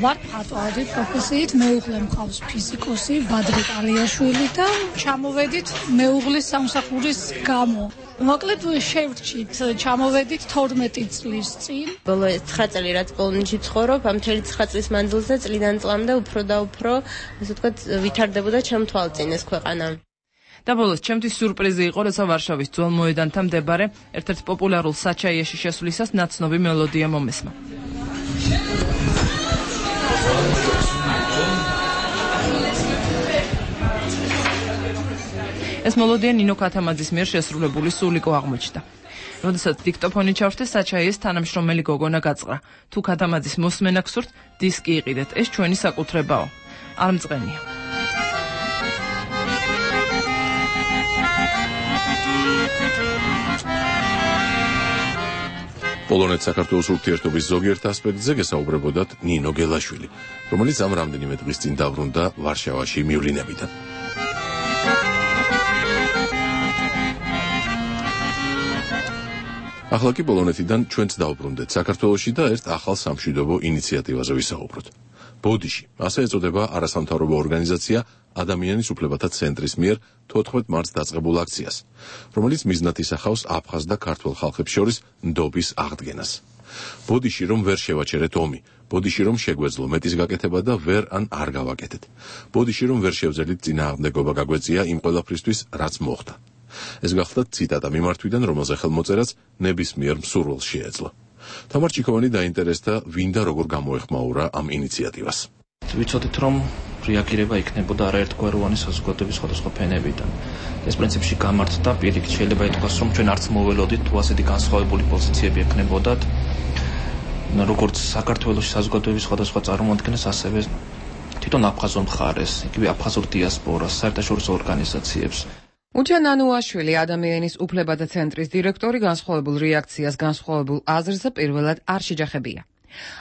ვარ მხატვარი პროფესიით, მეუღლე მყავს ფიზიკოსი ბადრი კალიაშვილი და ჩამოვედით მეუღლის სამსახურის გამო. მოკლედ შევრჩით, ჩამოვედით 12 წლის წინ. ბოლო 9 წელი რაც პოლონეთში ცხოვრობ, ამ მთელი 9 წლის მანძილზე წლიდან წლამდე უფრო და უფრო, ასე ვთქვათ, ვითარდებოდა ჩემ თვალწინ ეს ქვეყანა. და ბოლოს ჩემთვის სიურპრიზი იყო, როცა ვარშავის ძველ მოედანთან მდებარე ერთ-ერთ პოპულარულ საჩაიეში შესვლისას ნაცნობი მელოდია მომესმა. ეს მელოდია ნინო ქათამაძის მიერ შესრულებული სულიკო აღმოჩნდა. როდესაც დიქტოფონი ჩავრთე, საჩაიეს თანამშრომელი გოგონა გაწყრა. თუ ქათამაძის მოსმენა გსურთ, დისკი იყიდეთ, ეს ჩვენი საკუთრებაო. არ მწყენია. პოლონეთ-საქართველოს ურთიერთობის ზოგიერთ ასპექტზე გესაუბრებოდათ ნინო გელაშვილი, რომელიც ამ რამდენიმე დღის წინ დაბრუნდა ვარშავაში მივლინებიდან. ახლა კი პოლონეთიდან ჩვენც დავბრუნდეთ საქართველოში და ერთ ახალ სამშვიდობო ინიციატივაზე ვისაუბროთ. ბოდიში, ასე ეწოდება არასამთავრობო ორგანიზაცია ადამიანის უფლებათა ცენტრის მიერ 14 მარტს დაწყებულ აქციას, რომელიც მიზნად ისახავს აფხაზ და ქართველ ხალხებს შორის ნდობის აღდგენას. ბოდიში რომ ვერ შევაჩერეთ ომი, ბოდიში რომ შეგვეძლო მეტის გაკეთება და ვერ ან არ გავაკეთეთ. ბოდიში რომ ვერ შევძელით წინააღმდეგობა გაგვეწია იმ ყველაფრისთვის, რაც მოხდა. ეს გახლდათ ციტატა მიმართვიდან, რომელზე ხელმოწერაც ნებისმიერ მსურველს შეეძლო. თამარ ჩიქოვანი დაინტერესდა, ვინ და როგორ გამოეხმაურა ამ ინიციატივას. ვიცოდით, რომ რეაგირება იქნებოდა არაერთგვაროვანი საზოგადოების სხვადასხვა ფენებიდან. ეს პრინციპში გამართდა, პირიქით შეიძლება ითქვას, რომ ჩვენ არც მოველოდით თუ ასეთი განსხვავებული პოზიციები ექნებოდათ, როგორც საქართველოს საზოგადოების სხვადასხვა წარმოადგენლებს, ასევე თვითონ აფხაზურ მხარეს, იგივე აფხაზურ დიასპორას, საერთაშორისო ორგანიზაციებს. უჩან ანუაშვილი, ადამიანის უფლებათა ცენტრის დირექტორი, განსხვავებულ რეაქციას, განსხვავებულ აზრზე პირველად არ შეჯახებია.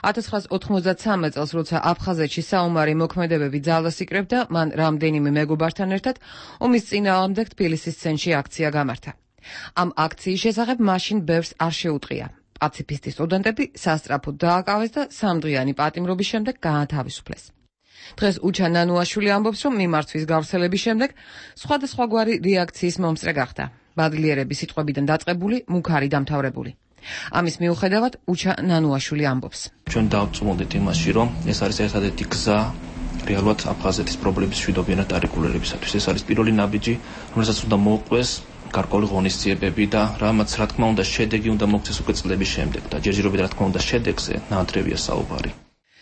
1993 წელს, როცა აფხაზეთში საომარი მოქმედებები ძალას იკრებდა, მან რამდენიმე მეგობართან ერთად ომის წინააღმდეგ თბილისის ცენტრში აქცია გამართა. ამ აქციის შესახებ მაშინ ბევრს არ შეუტყია. პაციფისტი სტუდენტები სასწრაფოდ დააკავეს და სამდღიანი პატიმრობის შემდეგ გაათავისუფლეს. დღეს უჩან ანუაშვილი ამბობს, რომ მიმართვის გავრცელების შემდეგ სხვადასხვაგვარი რეაქციის მომსწრე გახდა. ბადლიერების სიტყვებიდან დაწყებული, მუქარი დამთავრებული. ამის მიუხედავად უჩან ანუაშვილი ამბობს. ჩვენ დავწმუნდით იმაში, რომ ეს არის ერთადერთი გზა რეალურად აფხაზეთის პრობლემის მშვიდობიანად არეგულირებისათვის. ეს არის პირველი ნაბიჯი, რომელსაც უნდა მოუყვეს გარკვეული ღონისძიებები და რამაც რა თქმა უნდა შედეგი უნდა მოგვცეს უკვე წლების შემდეგ და ჯერჯერობით რა თქმა უნდა შედეგზე ნაადრევია საუბარი.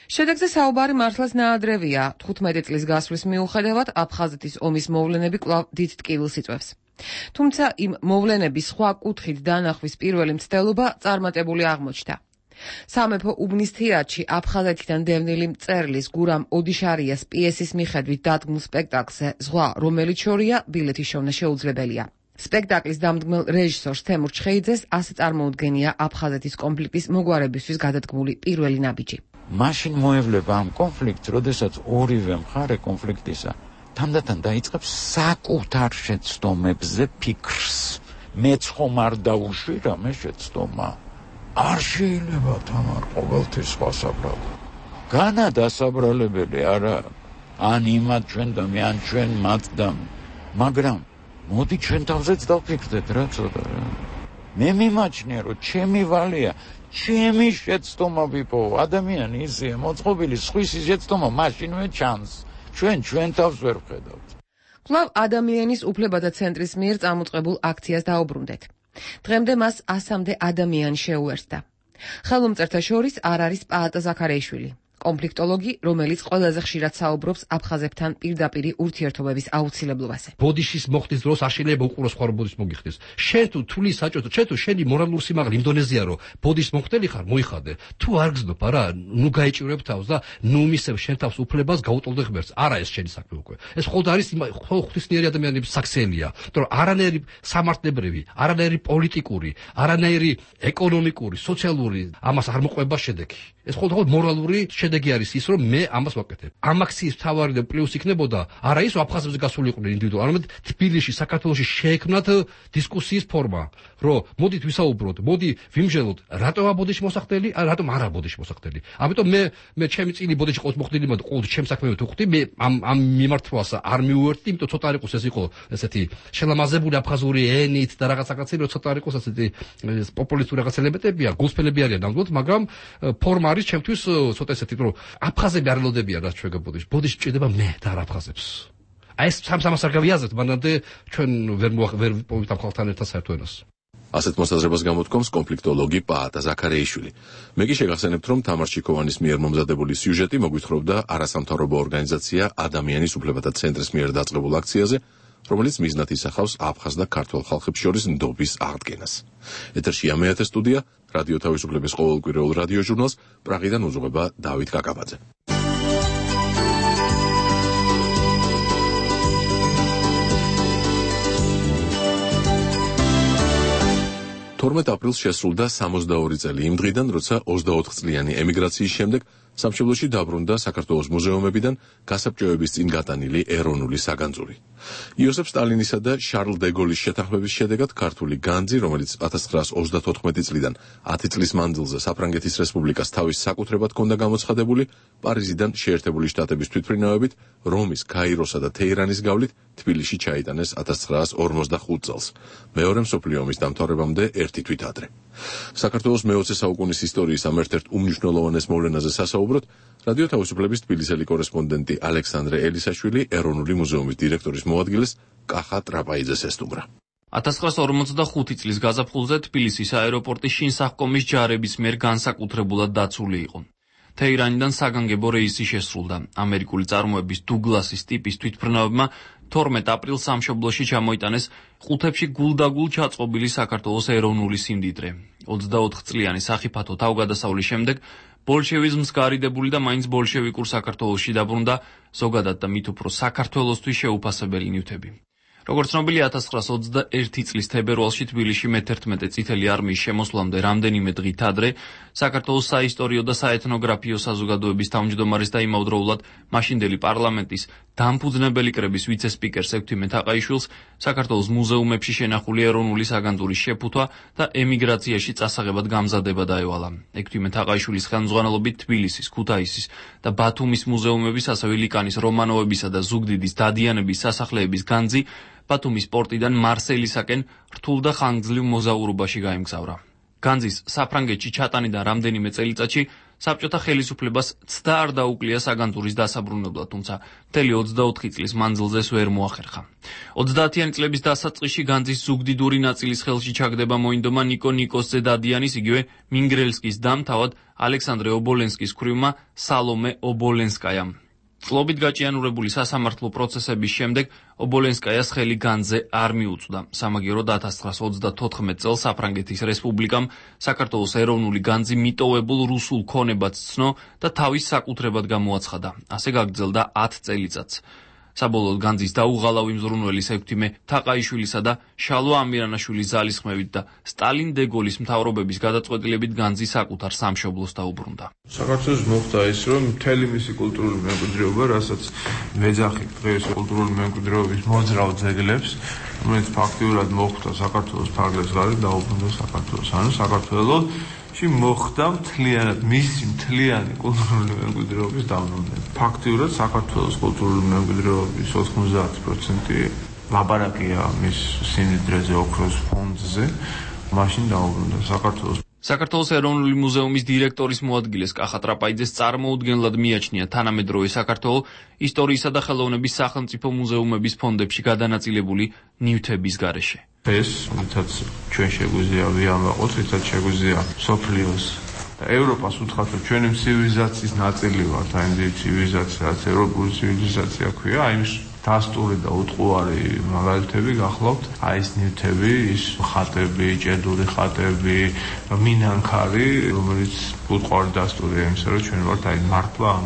შედეგზე საუბარი მართლაც ნაადრევია. 15 წლის გასვლის მიუხედავად აფხაზეთის ომის მოვლენები კვლავ დიდ ტკივილს იწვევს. თუმცა იმ მოვლენების სხვა კუთხით დანახვის პირველი მცდელობა წარმატებული აღმოჩნდა. სამეფო უბნის თეატრში აფხაზეთიდან დევნილი მწერლის გურამ ოდიშარიას პიესის მიხედვით დადგმულ სპექტაკლზე ზღვა, რომელიც შორია, ბილეთის შოვნა შეუძლებელია. სპექტაკლის დამდგმელ რეჟისორს თემურ ჩხეიძეს ასე წარმოუდგენია აფხაზეთის კონფლიქტის მოგვარებისთვის გადადგმული პირველი ნაბიჯი. მაშინ მოევლება ამ კონფლიქტს, როდესაც ორივე მხარე კონფლიქტისა თანდათან დაიწყებს საკუთარ შეცდომებზე ფიქრს. მეც ხომ არ დაუშვირა მე შეცდომა. არ შეიძლება თამარ ყოველთვის სხვა საბრალო. განა დასაბრალებელი არა. ან იმათ ჩვენ და მე ან ჩვენ მათ და მაგრამ მოდი ჩვენ თავზეც დავფიქრდეთ რა ცოტა რა. მე მიმაჩნია რომ ჩემი ვალია ჩემი შეცდომა ვიპოვო. ადამიანი ისეა მოწყობილი სხვისი შეცდომა მაშინვე ჩანს. ჩვენ თავს ვერ ვხედავთ. კვლავ ადამიანის უფლებათა ცენტრის მიერ წამოწყებულ აქციას დაუბრუნდეთ. დღემდე მას 100-მდე ადამიანი შეუერთდა. ხელმომწერთა შორის არ არის პაატა ზაქარეიშვილი, კონფლიქტოლოგი, რომელიც ყველაზე ხშირად საუბრობს აფხაზებთან პირდაპირი ურთიერთობების აუცილებლობაზე. ბოდიშის მოხდის დროს არ შეიძლება უყუროს სხვა ბოდიშს მოგიხდეს. შენ თუ თulis საჭოთო, შენ თუ შენი მორალური სიმაღლე იმდონეზია რომ ბოდიშს მოხდელი ხარ, მოიხადე. თუ არ გზნობ, არა, ნუ გაიჭირებ თავს და ნუ მისებ შენ თავს უფლებას გაუტოლდე ღმერთს. არა ეს შენი საქმე უკვე. ეს მხოლოდ არის ღვთისმიერი ადამიანების საქციელია. იმიტომ რომ არანაირი სამართლებრივი, არანაირი პოლიტიკური, არანაირი ეკონომიკური, სოციალური ამას არ მოყვება შედეგი. ეს მხოლოდ მორალური შედეგი არის ის, რომ მე ამას ვაკეთებ. ამ აქციის მთავარი და პლუს იქნებოდა არა ის, რომ აფხაზებზე გასული იყვნენ ინდივიდუალურად, არამედ თბილისში, საქართველოში შეექმნათ დისკუსიის ფორმა, რომ მოდით ვისაუბროთ, მოდი ვიმჟელოთ, რატო აბოდიში მოსახდელი, რატომ არა აბოდიში მოსახდელი. ამიტომ მე ჩემი წილი ბოდიში ყავს მოხდილი, მაგრამ ყოველთვის ჩემს საქმეებს ვხვდი, მე ამ მიმართვას არ მიუერთდი, იმიტომ ცოტა არ იყოს ეს იყო ესეთი შელამაზებული აფხაზური ენით და რაღაცაკაცი, რომ ცოტა არ იყოს ესეთი პოპულისტური რაღაც ელემენტებია, გულსფელები არიან ნამდვილად, მაგრამ ფორმა არის ჩემთვის ცოტა ესეთი, რომ აფხაზები არ ელოდებიან რაც ჩვენ ბოდიში. ბოდიში ჭირდება მე და არ აფხაზებს. აი ეს სამს არ გავიაზრეთ, მანამდე ჩვენ ვერ ვიპოვით ამ ხალხთან ერთად საერთო ენას. ასეთ მოსაზრებას გამოთქვამს კონფლიქტოლოგი პაატა ზაქარეიშვილი. მე კი შეგახსენებთ, რომ თამარ ჩიქოვანის მიერ მომზადებული სიუჟეტი მოგვითხრობდა არასამთავრობო ორგანიზაცია ადამიანის უფლებათა ცენტრის მიერ დაწყებულ აქციაზე, რომელიც მიზნად ისახავს აფხაზ და ქართველ ხალხებს შორის ნდობის აღდგენას. ეთერშია მეათე სტუდია, რადიო თავისუფლების ყოველკვირეულ რადიო ჟურნალს პრაღიდან უძღვება დავით კაკაბაძე. 12 აპრილს შესრულდა 62 წელი იმ დღიდან, როცა 24 წლიანი ემიგრაციის შემდეგ სამშობლოში დაბრუნდა საქართველოს მუზეუმებიდან გასაბჭოების წინ გატანილი ეროვნული საგანძური. იოსებ სტალინისა და შარლ დე გოლის შეთანხმების შედეგად ქართული განძი, რომელიც 1934 წლიდან 10 წლის მანძილზე საფრანგეთის რესპუბლიკას თავის საკუთრებად ჰქონდა გამოცხადებული, პარიზიდან შეერთებული შტატების თვითმფრინავებით, რომის, კაიროსა და თეირანის გავლით თბილისში ჩაიტანეს 1945 წელს, მეორე მსოფლიო ომის დამთავრებამდე ერთი თვით ადრე. საქართველოს მე-20 საუკუნის ისტორიის ამ ერთ-ერთ უმნიშვნელოვანეს მოვლენაზე სასაუბროთ, რადიო თავისუფლების თბილისელი კორესპონდენტი ალექსანდრე ელისაშვილი ეროვნული მუზეუმის დირექტორის მოადგილეს კახა ტრაპაიძეს ესტუმრა. 1945 წლის გაზაფხულზე თბილისის აეროპორტი შინსახკომის ჯარების მიერ განსაკუთრებულად დაცული იყო. თეირანიდან საგანგებო რეისი შესრულდა. ამერიკული წარმოების დუგლასის ტიპის თვითმფრინავებმა 12 აპრილს სამშობლოში ჩამოიტანეს ყუთებში გულდაგულ ჩაწყობილი საქართველოს ეროვნული სიმდიდრე. 24 წლიანი სახიფათო თავგადასავლის შემდეგ ბოლშევიზმს გარიდებული და მაინც ბოლშევიკურ საქართველოში დაბრუნდა ზოგადად და მით უფრო საქართველოსთვის შეუფასებელი ნივთები. როგორც ცნობილია, 1921 წლის თებერვალში თბილისში მე-11 წითელი არმიის შემოსვლამდე რამდენიმე დღით ადრე საქართველოს საისტორიო და საეთნოგრაფიო საზოგადოების თავმჯდომარის და იმავდროულად მაშინდელი პარლამენტის დამფუძნებელი კრების ვიცე-სპიკერს ექვთიმე თაყაიშვილს საქართველოს მუზეუმებში შენახული ეროვნული საგანძურის შეფუთვა და ემიგრაციაში წასაღებად გამზადება დაევალა. ექვთიმე თაყაიშვილის ხელმძღვანელობით თბილისის, ქუთაისის და ბათუმის მუზეუმების, ასევე ლიკანის, რომანოვებისა და ზუგდიდის დადიანების სასახლეების განძი ბათუმის პორტიდან მარსელისაკენ რთულ და ხანგრძლივ მოზაურობაში გაემგზავრა. განძის საფრანგეთში ჩატანიდან რამდენიმე წელიწადში საბჭოთა ხელისუფლებას ცდა არ დაუკლია საგანძურის დასაბრუნებლად, თუმცა მთელი 24 წლის მანძილზე ეს ვერ მოახერხა. 30-იანი წლების დასაწყისში განძის ზუგდიდური ნაწილის ხელში ჩაგდება მოინდომა ნიკო ნიკოსძე დადიანის, იგივე მინგრელსკის დამ, თავად ალექსანდრე ობოლენსკის ქვრივმა სალომე ობოლენსკაიამ. წლობით გაჭიანურებული სასამართლო პროცესების შემდეგ ობოლენსკაიას ხელი განძზე არ მიუწვდა. სამაგიეროდ 1934 წელს საფრანგეთის რესპუბლიკამ საქართველოს ეროვნული განძი მიტოვებულ რუსულ ქონებად ცნო და თავის საკუთრებად გამოაცხადა. ასე გაგრძელდა 10 წელიწადს. საბოლოოდ განძის დაუღალავი მზრუნველის ექვთიმე თაყაიშვილისა და შალვა ამირანაშვილის ძალისხმევით და სტალინ დე გოლის მთავრობების გადაწყვეტილებით განძი საკუთარ სამშობლოს დაუბრუნდა. საქართველოს მოხდა ის, რომ მთელი მისი კულტურული მემკვიდრეობა, რასაც მეძახი დღეს კულტურული მემკვიდრეობის მოძრავ ძეგლებს, რომელიც ფაქტიურად მოხდა საქართველოს ფარგლებს გარეთ დაუბრუნდა საქართველოს. ანუ საქართველოში მოხდა მთლიანი კულტურული მემკვიდრეობის დაბრუნება. ფაქტიურად საქართველოს კულტურული მემკვიდრეობის 90% ლაბარაკია მის სიმდიდრეზე, ოქროს ფონდზე, მაშინ დაუბრუნდა საქართველოს. საქართველოს ეროვნული მუზეუმის დირექტორის მოადგილეს კახა ტრაპაიძეს წარმოუდგენლად მიაჩნია თანამედროვე საქართველოს ისტორიისა და ხელოვნების სახელმწიფო მუზეუმების ფონდებში გადანაწილებული ნივთების გარეშე. ეს, რითაც ჩვენ შეგვიძლია ვიამაყოთ, რითაც შეგვიძლია სოფლიოს და ევროპას უთხრათ, რომ ჩვენი ცივილიზაციის ნაწილი ვართ, აი ამ ცივილიზაცია, რაც ევროპული ცივილიზაცია ქვია, აი ეს დასტური და უტყუარი მაგალითები გახლავთ, აი ეს ნივთები, ის ხატები, ჭედური ხატები, მინანქარი, რომელიც უტყუარი დასტურია იმისა, რომ ჩვენ ვართ აი მართლა ამ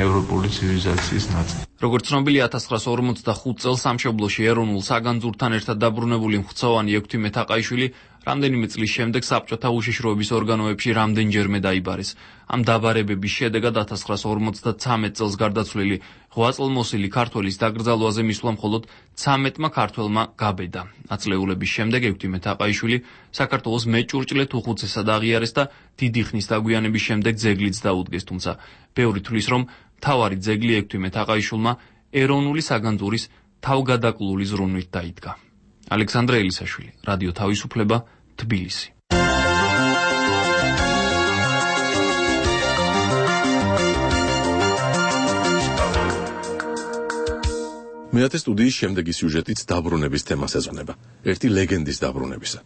ევროპული ცივილიზაციის ნაწილი. როგორც ცნობილია 1945 წელს სამშობლოში ეროვნულ საგანძურთან ერთად დაბრუნებული მხცოვანი ექვთიმე თაყაიშვილი რამდენიმე წლის შემდეგ საბჭოთა უშიშროების ორგანოებში რამდენჯერმე დაიბარეს. ამ დაბარებების შედეგად 1953 წელს გარდაცვლილი 8 წელმოსილი ქართველის დაკრძალვაზე მისვლა მხოლოდ 13-მა ქართველმა გაბედა. აწლეულების შემდეგ ექვთიმე თაყაიშვილი საქართველოს მეჭურჭლეთ უხუცესად აღიარეს და დიდი ხნის დაგვიანების შემდეგ ძეგლიც დაუდგეს, თუმცა ბევრი თვლის, რომ მთავარი ძეგლი ექვთიმე თაყაიშვილმა ეროვნული საგანძურის თავგადაკლული ზრუნვით დაიდგა. ალექსანდრე ელისაშვილი, რადიო თავისუფლება, თბილისი. მეათე სტუდიის შემდეგი სიუჟეტიც დაბრუნების თემას ეძღვნება. ერთი ლეგენდის დაბრუნებისა.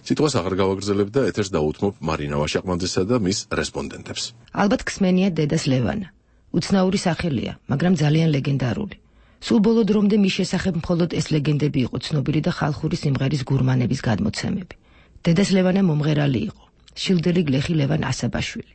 სიტყვას აღარ გავაგრძელებ და ეთერს დაუთმობ მარინა ვაშაყმაძესა და მის რესპონდენტებს. ალბათ ქსმენია დედას ლევანა. უცნაური სახელია, მაგრამ ძალიან ლეგენდარული. სულ ბოლო დრომდე მის შესახებ მხოლოდ ეს ლეგენდები იყო ცნობილი და ხალხური სიმღერის გურმანების გადმოცემები. დედას ლევანა მომღერალი იყო, შილდელი გლეხი ლევან ასაბაშვილი.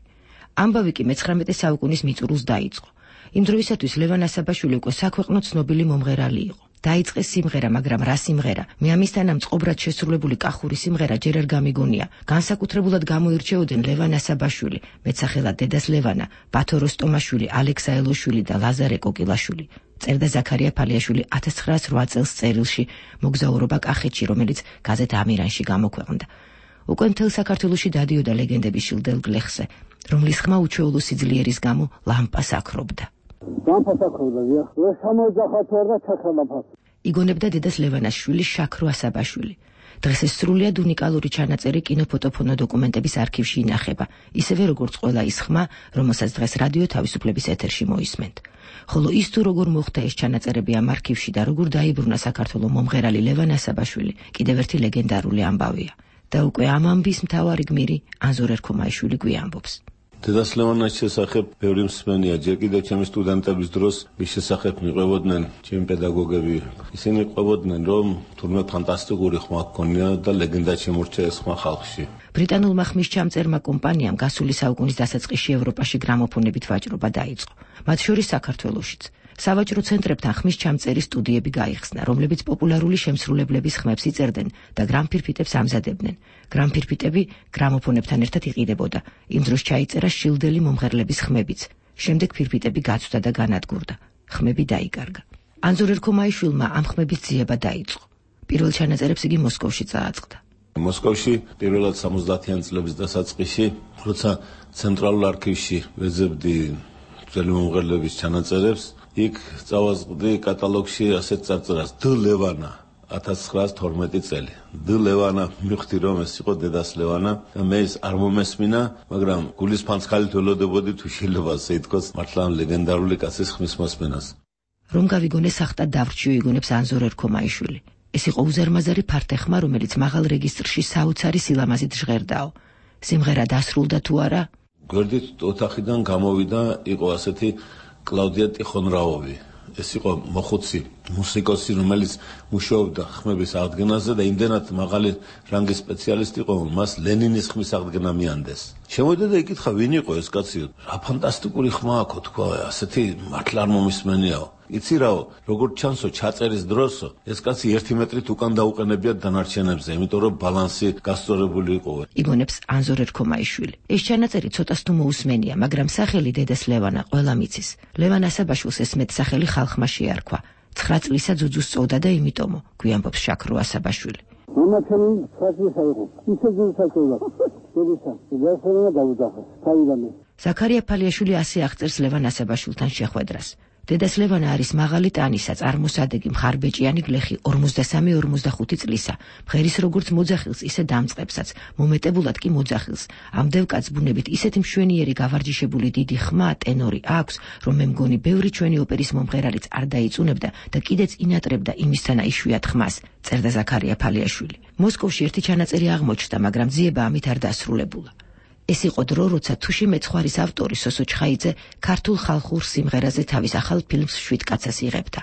ამბავი კი მე-19 საუკუნის მიწურულს დაიწყო. იმ დროისათვის ლევან ასაბაშვილი უკვე საქვეყნო ცნობილი მომღერალი იყო. დაიწყეს სიმღერა, მაგრამ რა სიმღერა? მე ამისთანა მწყობრად შესრულებული კახური სიმღერა ჯერ არ გამიგონია. განსაკუთრებულად გამოირჩეოდნენ ლევან ასაბაშვილი, მეცახელად დედას ლევანა, ბათო როსტომაშვილი, ალექსა ელოშვილი და ლაზარე კოკილაშვილი. წერდა ზაქარია ფალიაშვილი 1908 წელს წერილში მოგზაურობა კახეთში, რომელიც გაზეთ ამირანში გამოქვეყნდა. უკვე მთელ საქართველოში დადიოდა ლეგენდები შილდელ გლეხზე, რომლის ხმა უჩვეულო სიძლიერის გამო ლამპას აქრობდა. იგონებდა დედას ლევანას შვილი შაქრო ასაბაშვილი. დღეს ეს სრულიად უნიკალური ჩანაწერი კინოფოტოფონო დოკუმენტების არქივში ინახება, ისევე როგორც ყველა ის ხმა, რომელსაც დღეს რადიო თავისუფლების ეთერში მოისმენთ. ხოლო ის თუ როგორ მოხდა ეს ჩანაწერები ამ არქივში და როგორ დაიბრუნა საქართველოს მომღერალი ლევან ასაბაშვილი, კიდევ ერთი ლეგენდარული ამბავია. და უკვე ამ ამბის მთავარი გმირი ანზორ ერქომაიშვილი გვიამბობს. დედას ლევანის შესახებ ბევრი მსმენია, ჯერ კიდევ ჩემი სტუდენტების დროს მის შესახებ მიყვებოდნენ ჩემი პედაგოგები. ისინი ყვებოდნენ, რომ თურმე ფანტასტიკური ხმა ჰქონია და ლეგენდა შემორჩა ეს ხმა ხალხში. ბრიტანულმა ხმის ჩამწერმა კომპანიამ გასული საუკუნის დასაწყისში ევროპაში გრამოფონებით ვაჭრობა დაიწყო, მათ შორის საქართველოშიც. სავაჭრო ცენტრებთან ხმის ჩამწერის სტუდიები გაიხსნა, რომლებიც პოპულარული შემსრულებლების ხმებს იწერდნენ და გრამფირფიტებს ამზადებდნენ. გრამფირფიტები გრამოფონებთან ერთად იყიდებოდა. იმ დროს ჩაიწერა შილდელი მომღერლების ხმებიც. შემდეგ ფირფიტები გაცვდა და განადგურდა. ხმები დაიკარგა. ანზორ ერქომაიშვილმა ამ ხმების ძიება დაიწყო. პირველ ჩანაწერებს იგი მოსკოვში წააწყდა. მოსკოვში პირველად 70-იან წლების დასაწყისში, როცა ცენტრალურ არქივში ვეძებდი ძველი მომღერლების ჩანაწერებს, იქ წავაზღდი კატალოგში ასეთ წარწერას დ ლევანა 1912 წელი. დ ლევანა მივხვდი რომ ეს იყო დედას ლევანა და მე ეს არ მომესმინა, მაგრამ გულის ფანცხალით ველოდებოდი თუ შეიძლება ასე ითქვას მართლა ლეგენდარული კაცის ხმის მოსმენას. რომ გავიგონე სახტად დავრჩიო იგონებს ანზორ ერქომაიშვილი. ეს იყო უზარმაზარი ფართეხმა, რომელიც მაღალ რეგისტრში საოცარი სილამაზით ჟღერდაო. სიმღერა დასრულდა თუ არა? გვერდით ოთახიდან გამოვიდა, იყო ასეთი კლაუდია ტიხონრაოვი. ეს იყო მოხუცი მუსიკოსი, რომელიც მუშაობდა ხმების აღდგენაზე და იმდენად მაღალი რანგის სპეციალისტი იყო, მას ლენინის ხმის აღდგენა მიანდეს. შემოვიდა და იკითხა, ვინ იყო ეს კაცი? რა ფანტასტიკური ხმა აქვს, თქვა, ასეთი მართლა არ მომისმენიაო. იცი რაო, როგორც ჩანსო, ჩაწერის დროსო, ეს კაცი 1 მეტრით უკან დაუყენებიათ დანარჩენებზე, იმიტომ რომ ბალანსი გასწორებული იყო. იგონებს ანზორ ერქომაიშვილი. ეს ჩანაწერი ცოტას თუ მოусმენია, მაგრამ სახელი დედას ლევანა ყველამ იცის. ლევან ასაბაშვილს ეს მეტსახელი ხალხმა შეარქვა. 9 წლისა ძუძუს წოვდა და იმიტომო, გვიანბობს შაქრო ასაბაშვილი. მომაჩემი 9 წლისა იყო. ისე ძუძუს წოვდა. დედისა, დასერნა დაუდახა. თავიდანვე. ზაქარია ფალიაშვილი ასე აღწერს ლევან ასაბაშვილთან შეხვედრას. დედას ლევანა არის მაღალი ტანისა, წარმოსადეგი, მხარბეჭიანი გლეხი, 43-45 წლისა. მღერის როგორც მოძახილს, ისე დამწყებსაც, მომეტებულად კი მოძახილს. ამ დევკაც ბუნებით ისეთი მშვენიერი გავარჯიშებული დიდი ხმა, ტენორი აქვს, რომ მე მგონი ბევრი ჩვენი ოპერის მომღერალიც არ დაიწუნებდა და კიდეც ინატრებდა იმისთანა იშვიათ ხმას, წერდა ზაქარია ფალიაშვილი. მოსკოვში ერთი ჩანაწერი აღმოჩნდა, მაგრამ ძიება ამით არ დასრულებულა. ეს იყო დრო, როცა თუში მეცხვარის ავტორი სოსო ჩხაიძე ქართულ ხალხურ სიმღერაზე თავის ახალ ფილმს 7 კაცას იღებდა.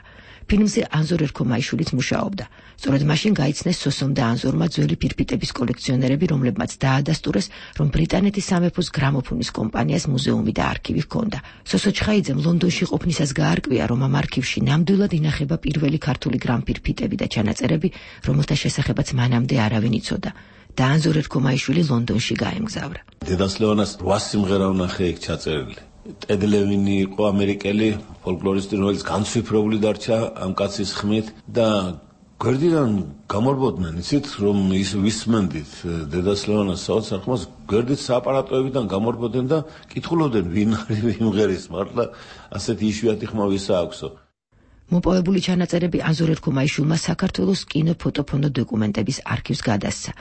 ფილმზე ანზორ ერქომაიშვილიც მუშაობდა. სწორედ მაშინ გაიცნეს სოსომ და ანზორმა ძველი ფირფიტების კოლექციონერები, რომლებმაც დაადასტურეს, რომ ბრიტანეთის სამეფოს გრამოფონის კომპანიას მუზეუმი და არქივი ჰქონდა. სოსო ჩხაიძემ ლონდონში ყოფნისას გაარკვია, რომ ამ არქივში ნამდვილად ინახება პირველი ქართული გრამფირფიტები და ჩანაწერები, რომელთა შესახებაც მანამდე არავინ იცოდა. და ანზორ ერქომაიშვილი ლონდონში გაემგზავრა. დედას ლევანას 8 სიმღერა ვნახე იქ ჩაწერილი. ტედ ლევინი იყო ამერიკელი ფოლკლორისტი, რომელიც განცვიფრებული დარჩა ამ კაცის ხმით და გვერდიდან გამორბოდნენ, იცით, რომ ის ვისმენდით დედას ლევანას საოცარ ხმას, გვერდით სააპარატოებიდან გამორბოდნენ და კითხულობდნენ, ვინ არის იმღერის, მართლა ასეთი იშვიათი ხმა ვისა აქვსო. მოპოვებული ჩანაწერები ანზორ ერქომაიშვილმა საქართველოს კინო ფოტოფონო დოკუმენტების არქივს გადასცა.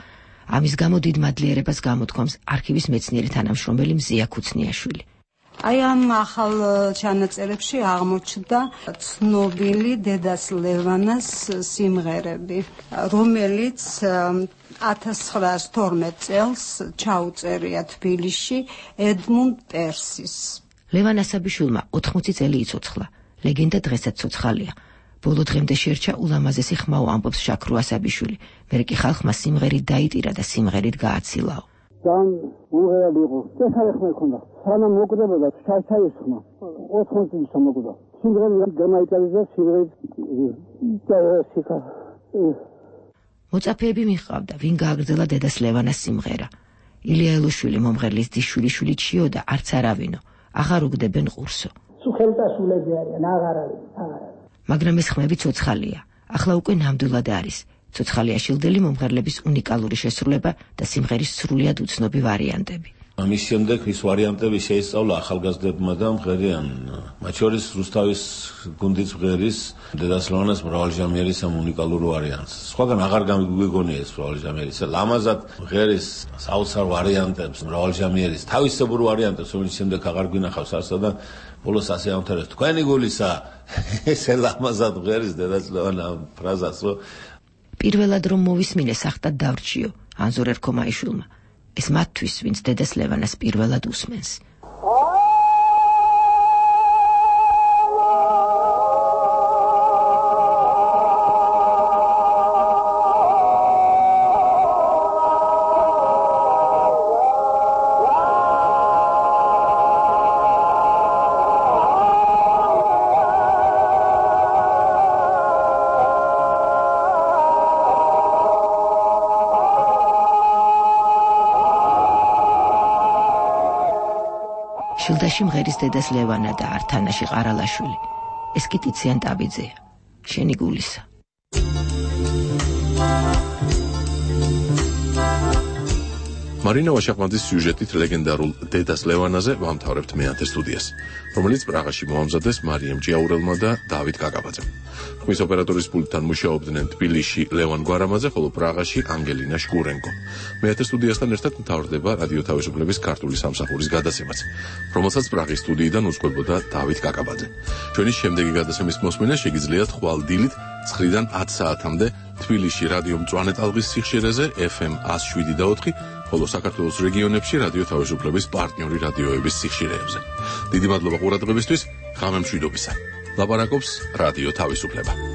ამის გამო დიდ მადლიერებას გამოთქვამს არქივის მეცნიერი თანამშრომელი მზია ქუცნიაშვილი. აი ამ ახალ ჩანაწერებში აღმოჩნდა ცნობილი დედას ლევანას სიმღერები, რომელიც 1912 წელს ჩაუწერია თბილისში ედმუნდ პერსის. ლევან ასაბიშვილმა 80 წელი იცოცხლა. ლეგენდა დღესაც ცოცხალია. ბოლო დღემდე შერჩა ულამაზესი ხმაო, ამბობს შაქრო ასაბიშვილი. მერე კი ხალხმა სიმღერით დაიტირა და სიმღერით გააცილაო. ძალიან უღერად იყო. წესარი ხმა ქონდა. სანამ მოკვდებოდა ჩაის ხმა. 80 წლის მოკვდა. სიმღერით გამაიტარეს და სიმღერით დაესიკა. მოწაფეები მიჰყავდა, ვინ გააგრძელა დედას ლევანას სიმღერა. ილია ელოშვილი მომღერლის დიშვილი ჩიო და არც არავინო. აღარ უგდებენ ყურსო. სულტასულები არიან, აღარ არის. მაგრამ ეს ხმები ცოცხალია. ახლა უკვე ნამდვილად არის. ცოცხალია შილდელი მომღერლების უნიკალური შესრულება და სიმღერის სრულიად უცნობი ვარიანტები. ამის შემდეგ ის ვარიანტები შეისწავლა ახალგაზრდებმა და მღერიან. მათ შორის რუსთავის გუნდის მღერის დედას ლევანას მრავალჟამიერის ამ უნიკალურ ვარიანტს. სხვაგან აღარ გამიგონია ეს მრავალჟამიერის. ლამაზად მღერის საოცარ ვარიანტებს, მრავალჟამიერის თავისებურ ვარიანტებს, რომელიც შემდეგ აღარ გვინახავს არსა და ბოლოს ასე ამთავრებს. თქვენი გულისა ესე ლამაზად მღერის დედას ლევანა ფრაზას, რომ პირველად რომ მოვისმინე სახტად დავრჩიო ანზორ ერქომაიშვილმა. ეს მათთვის, ვინც დედას ლევანას პირველად უსმენს. შილდაში მღერის დედას ლევანა და ართანაში ყარალაშვილი. ეს კი ტიციან ტაბიძეა. შენი გულისა. მარინა ვაშაყმაძის სიუჟეტით ლეგენდარულ დედას ლევანაზე ვამთავრებთ მეათე სტუდიას, რომელიც პრაღაში მოამზადეს მარიამ ჭიაურელმა და დავით კაკაბაძემ. ხმის ოპერატორის პულტთან მუშაობდნენ თბილისში ლევან გვარამაძე, ხოლო პრაღაში ანგელინა შკურენკო. მეათე სტუდიასთან ერთად მთავრდება რადიო თავისუფლების ქართული სამსახურის გადაცემაც, რომელსაც პრაღის სტუდიიდან უძღვებოდა დავით კაკაბაძე. ჩვენი შემდეგი გადაცემის მოსმენა შეგიძლიათ ხვალ დილით 9-დან 10 საათამდე თბილისში რადიო მწვანე ტალღის სიხშირეზე FM 107.4, ხოლო საქართველოს რეგიონებში რადიო თავისუფლების პარტნიორი რადიოების სიხშირეებზე. დიდი მადლობა ყურადღებისთვის, ღამემშვიდობისა. ლაპარაკობს რადიო თავისუფლება.